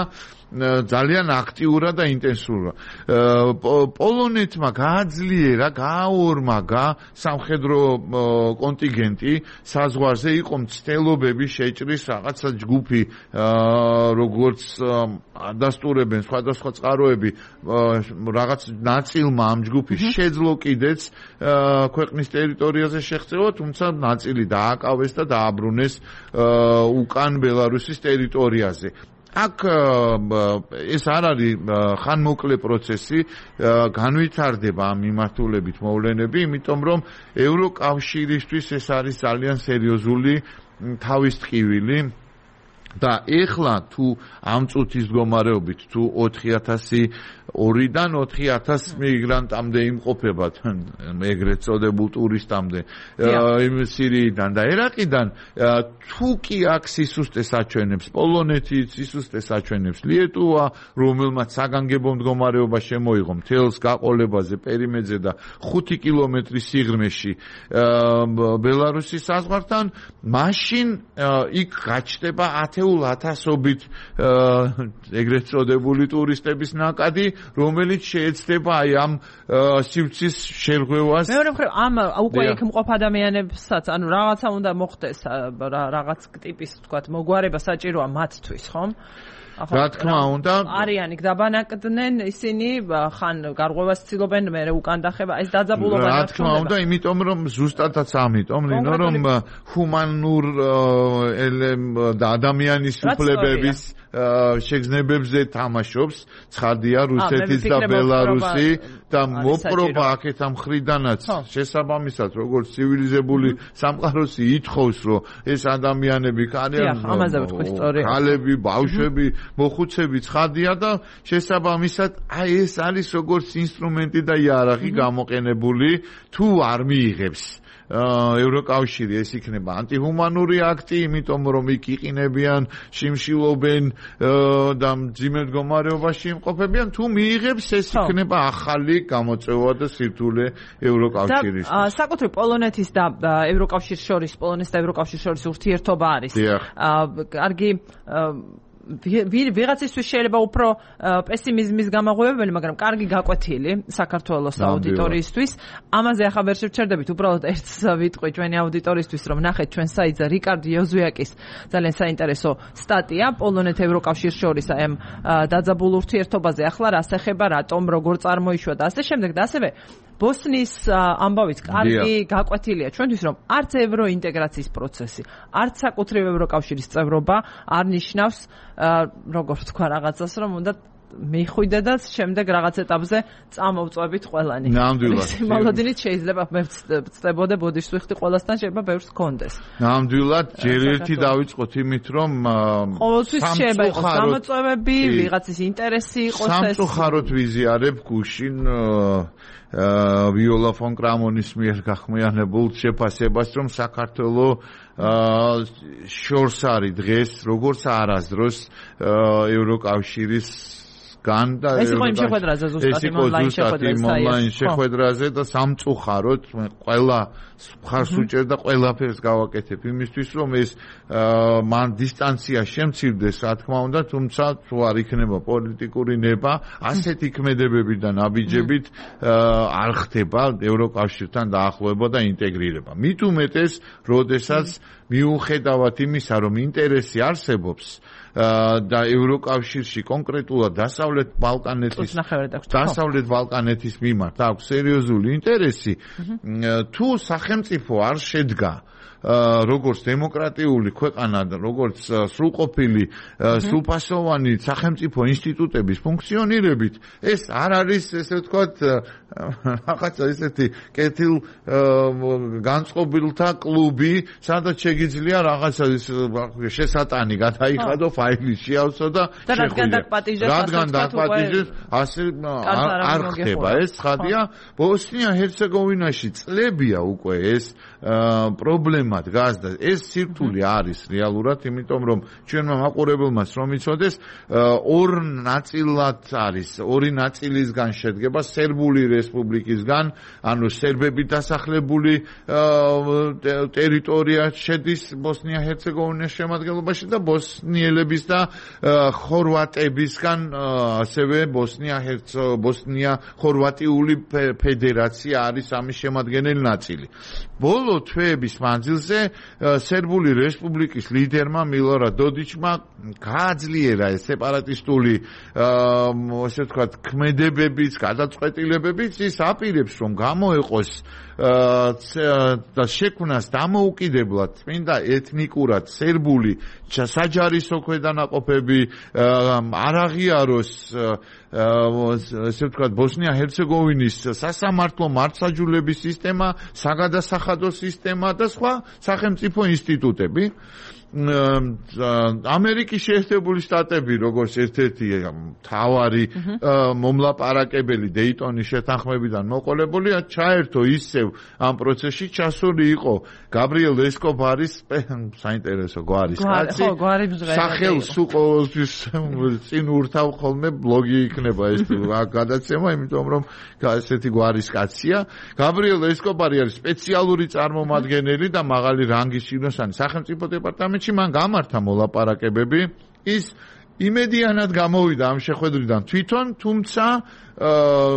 E: ძალიან აქტიურად და ინტენსიურად. პოლონეთმა გააძლიერა, გააორმაგა სამხედრო კონტინგენტი საზღვარზე, იყო მცდელობები შეჭრის რაღაცა ჯგუფი, როგორც ადასტურებენ სხვადასხვა წყაროები, რაღაც ნაწილმა ამ ჯგუფის შეძლო კიდეც ქვეყნის ტერიტორიაზე შეღწევა, თუმცა ნაწილი დააკავეს და დააბრუნეს უკან ბელარუსის ტერიტორიაზე. აქ ეს არ არის ხანმოკლე პროცესი, განვითარდება ამ მიმართულებით მოვლენები, იმიტომ რომ ევროკავშირისთვის ეს არის ძალიან სერიოზული თავისტყივილი და ეხლა თუ ამ წუთის მდგომარეობით თუ 4000-დან 4000 მიგრანტამდე იმყოფებათ, ეგრეთ წოდებულ ტურისტამდე იმ სირიიდან და ერაყიდან, თუ კი აქ სისუსტეს აჩვენებს პოლონეთი, სისუსტეს აჩვენებს ლიეტუვა, რომელმაც საგანგებო მდგომარეობა შემოიღო მთელს გაყოლებაზე პერიმეტრზე და 5 კილომეტრის სიღრმეში ბელარუსის საზღვართან, მაშინ იქ გაჩნდება 10,000-ობით ეგრეთ წოდებული ტურისტების ნაკადი, რომელიც შეეცდება აი ამ სივრცის შერღვევას.
A: მეორე მხრივ ამ უკვე იქ მყოფ ადამიანებსაც, ანუ რაღაცა უნდა მოხდეს, რაღაც ტიპის თქვათ მოგვარება საჭიროა მათთვის, ხომ?
E: რა თქმა უნდა,
A: არიან იქ დაბანაკდნენ ისინი, ხან გარღვევას ცდილობენ, მერე უკან დახება, ეს დაძაბულობა
E: რა თქმა უნდა, იმიტომ რომ ზუსტადაც ამიტომ, რომ ჰუმანურ და ადამიანის უფლებების შეგრძნებებზე თამაშობს, ცხადია რუსეთის და ბელარუსი და მოპრობა აქეთ ამ მხრიდანაც შესაბამისად, როგორც ცივილიზებული სამყაროსი ითხოვს, რომ ეს ადამიანები არიან ქალები, ბავშვები, მოხუცები, ცხადია და შესაბამისად აი ეს არის როგორც ინსტრუმენტი და იარაღი გამოყენებული, თუ არ მიიღებს ევროკავშირი, ეს იქნება ანტიჰუმანური აქტი, იმიტომ რომ იქ იყინებიან, შიმშილობენ და მძიმე მდგომარეობაში იმყოფებიან, თუ მიიღებს, ეს იქნება ახალი გამოწვევა და სირთულე ევროკავშირის.
A: საკუთრივ პოლონეთის და ევროკავშირის შორის, პოლონეთის და ევროკავშირის შორის ურთიერთობა არის. კარგი ვიღაცისთვის შეიძლება უფრო პესიმიზმის გამაღვივებელი, მაგრამ კარგი გაკვეთილი საქართველოს აუდიტორიისთვის. ამაზე ახლა ვერ შევჩერდებით, უბრალოდ ერთს ვიტყვი ჩვენი აუდიტორიისთვის, რომ ნახეთ ჩვენ საიტზე რიკარდ იოზვიაკის ძალიან საინტერესო სტატია პოლონეთ-ევროკავშირის შორის აი ამ დაძაბულ ურთიერთობაზე. ახლა რას ეხება, რატომ, როგორ წარმოიშვა და ასე შემდეგ და ასევე ბოსნიის ამბავით კარგი გაკვეთილია ჩვენთვის, რომ არც ევროინტეგრაციის პროცესი, არც საკუთრივ ევროკავშირის წევრობა არ ნიშნავს როგორც თქვა რაღაცას, რომ უნდა მიხვიდედაც შემდეგ რაღაც ეტაპზე წამოვწვევით ყველანი.
E: ნამდვილად.
A: მოლოდინით შეიძლება მე ვწდებოდე ბოდიშს ვიხდი ყველასთან, შეიძლება ბევრს გქონდეს.
E: ნამდვილად, ჯერ ერთი დავიწყოთ იმით, რომ
A: ყოველთვის შეიძლება იყოს გამოწვევები, ვიღაცის ინტერესი იყოს ეს.
E: სამწუხაროდ ვიზიარებ გუშინ ვიოლა ფონ კრამონის მიერ გახმიანებულ შეფასებას, რომ საქართველოს შორს არის დღეს, როგორც არასდროს ევროკავშირის
A: ეს იყო იმ შეხვედრაზე ზუსტად იმ
E: ონლაინ შეხვედრაზე და სამწუხაროდ ყველა მხარს უჭერ და ყველაფერს გავაკეთებ იმისთვის, რომ ეს მან დისტანცია შემცირდეს, რა თქმა უნდა, თუმცა თუ არ იქნება პოლიტიკური ნება, ასეთი ქმედებებით და ნაბიჯებით არ ხდება ევროკავშირთან დაახლოება და ინტეგრირება. მით უმეტეს, როდესაც მიუხედავად იმისა, რომ ინტერესი არსებობს და ევროკავშირში კონკრეტულად დასავლეთ ბალკანეთის მიმართ აქვს სერიოზული ინტერესი, თუ სახელმწიფო არ შედგა როგორც დემოკრატიული ქვეყანა, როგორც სრულყოფილი, სრულფასოვანი სახელმწიფო ინსტიტუტების ფუნქციონირებით, ეს არ არის, ესე ვთქვათ, რაღაცა ესეთი კეთილ განწყობილთა კლუბი, სადაც შეგიძლია რაღაცა შესატანი გადაიხადო, ფაილი შეავსო და
A: რადგან
E: დაკპატიჟეს, ასე არ ხდება. ეს ცხადია, ბოსნია-ჰერცეგოვინაში წლებია უკვე ეს პრობლემა დგას და ეს სირთულე არის რეალურად, იმიტომ რომ ჩვენმა მაყურებელმაც რომ იცოდეს, ორ ნაწილად არის, ორი ნაწილისგან შედგება სერბული რესპუბლიკისგან, ანუ სერბები დასახლებული ტერიტორია შედის ბოსნია-ჰერცეგოვინის შემადგენლობაში და ბოსნიელების და ხორვატებისგან ასევე ბოსნია-ხორვატიული ფედერაცია არის ამის შემადგენელი ნაწილი. ბოლო თვეების მანძილზე სერბული რესპუბლიკის ლიდერმა მილორად დოდიჩმა გააძლიერა ეს სეპარატისტული ასე ვთქვათ ქმედებებიც, გადაწყვეტილებებიც, ის აპირებს რომ გამოეყოს და შექმნას დამოუკიდებლად წმინდა ეთნიკურად სერბული საჯარისო ქვედანაყოფები, არ აღიაროს ასე ვთქვათ ბოსნია-ჰერცეგოვინის სასამართლო მართლმსაჯულების სისტემა, საგადასახადო სისტემა და სხვა სახელმწიფო ინსტიტუტები. ამერიკის შეერთებული შტატები როგორც ერთ-ერთი მთავარი მომლაპარაკებელი დეიტონის შეთანხმებიდან მოყოლებული ჩაერთო ისევ ამ პროცესში ჩასული იყო გაბრიელ ესკობარის საინტერესო გვარის კაცი სახელს უყოლთვის წინ ურთავ ხოლმე ბლოგი იქნება ეს გადაცემა, იმიტომ რომ ესეთი გვარის კაცია. გაბრიელ ესკობარი არის სპეციალური წარმომადგენელი და მაღალი რანგის შინოსანი სახელმწიფო დეპარტამენტში. მან გამართა მოლაპარაკებები, ის იმედიანად გამოვიდა ამ შეხვედრიდან თვითონ, თუმცა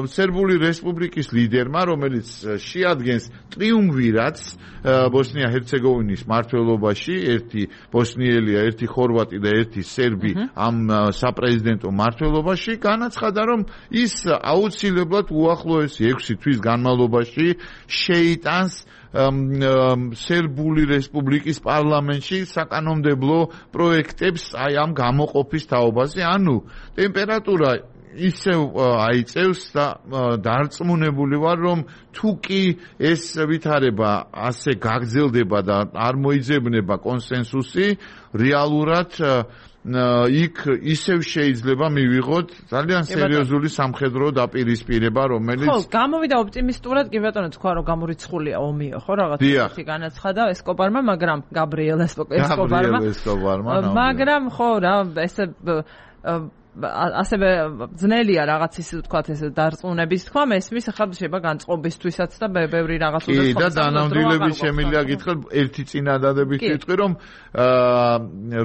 E: სერბული რესპუბლიკის ლიდერმა, რომელიც შეადგენს ტრიუმვირატს ბოსნია-ჰერცეგოვინის მმართველობაში, ერთი ბოსნიელია, ერთი ხორვატი და ერთი სერბი ამ საპრეზიდენტო მმართველობაში, განაცხადა, რომ ის აუცილებლად უახლოესი 6 თვის განმავლობაში შეიტანს სერბული რესპუბლიკის პარლამენტში საკანონმდებლო პროექტებს აი ამ გამოყოფის თაობაზე, ანუ ტემპერატურა ისევ აიწევს და დარწმუნებული ვარ, რომ თუ კი ეს ვითარება ასე გაგრძელდება და არ მოიძებნება კონსენსუსი, რეალურად იქ ისევ შეიძლება მივიღოთ ძალიან სერიოზული სამხედრო დაპირისპირება, რომელიც
A: ხო, გამოვიდა ოპტიმისტურად, კი ბატონო, თქვა რომ გამორიცხულია ომიო, ხო, რაღაცა ისეთი განაცხადა ესკობარმა, მაგრამ გაბრიელ ესკობარმა, მაგრამ ხო რა, ესე ასევე ძნელია რაღაც ის ვთქვათ ეს დარწმუნების თქვა მესმის ახლა შეიძლება განწყობისთვისაც და ბევრი რაღაც უნდა
E: და დანამდვილების შემიძლია გითხრათ ერთი წინადადებით ვიტყვი რომ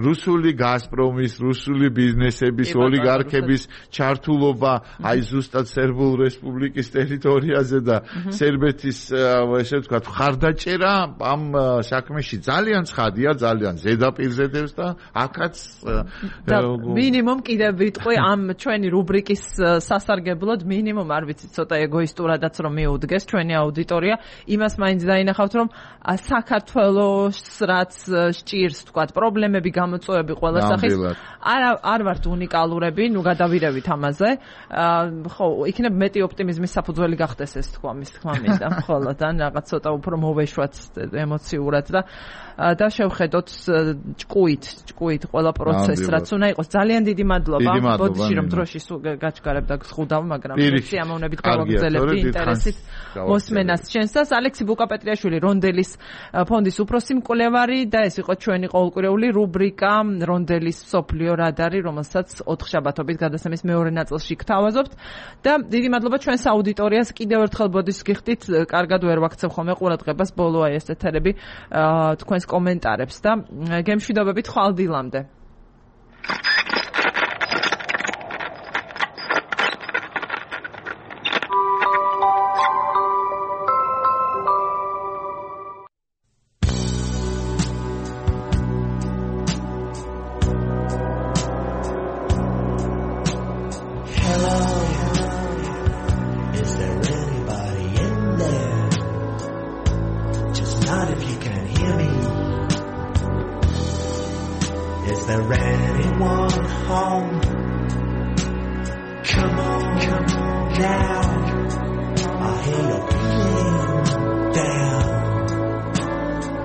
E: რუსული გაზპრომის, რუსული ბიზნესების, ოლიგარქების ჩართულობა აი ზუსტად სერბულ რესპუბლიკის ტერიტორიაზე და სერბეთის ესე ვთქვათ ხარდაჭერა ამ საქმეში ძალიან ცხადია, ძალიან ზედაპირზე დევს და აქაც
A: მინიმუმ კიდევ ამ ჩვენი რუბრიკის სასარგებლოდ მინიმუმ არ ვიცი ცოტა ეგოისტურადაც რომ მიუდგეს ჩვენი აუდიტორია იმას მაინც დაინახავთ რომ საქართველოს რაც სჭირს თქვათ პრობლემები გამოწვევები ყველა სახის არ ვართ უნიკალურები ნუ გადავირევით ამაზე ხო იქნებ მეტი ოპტიმიზმის საფუძველი გახდეს ეს თქვა მის თქმა მინდა მხოლოდ ან რაღაც ცოტა უფრო მოვეშვათ ემოციურად და შევხედოთ ჭკუით ყველა პროცესს რაც უნდა იყოს ძალიან დიდი მადლობა ბოდიში რომ დროში გაჩქარებ და გსხუდავ მაგრამ სიამოვნებით გავაგრძელებდი ინტერესით მოსმენას ჩვენსას ალექსი ბუკაპეტრიაშვილი რონდელის ფონდის უფროსი მკვლევარი და ეს იყო ჩვენი ყოველკვირეული რუბრიკა რონდელის სოფლიო რადარი რომელსაც 4 შაბათობით გადაცემის მეორე ნაწილში გთავაზობთ და დიდი მადლობა ჩვენს აუდიტორიას კიდევ ერთხელ ბოდიშს გიხდით კარგად ვერ ვაქცევ ხოლმე ყურადღებას ბოლოა ეს ეთერები თქვენს კომენტარებს და გემშვიდობებით ხვალ დილამდე
F: Not if you can hear me. there anyone home? Come on now, I hear you're feeling down.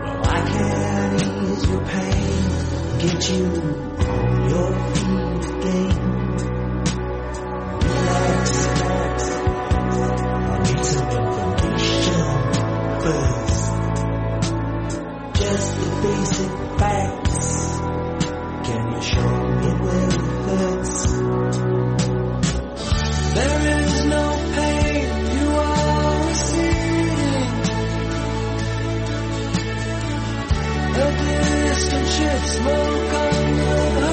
F: Well, I can ease your pain, get you on your feet again. Relax, I need some information first. Just the basic facts. Can you show me where it hurts? There is no pain you are receiving. A distant ship smoke on the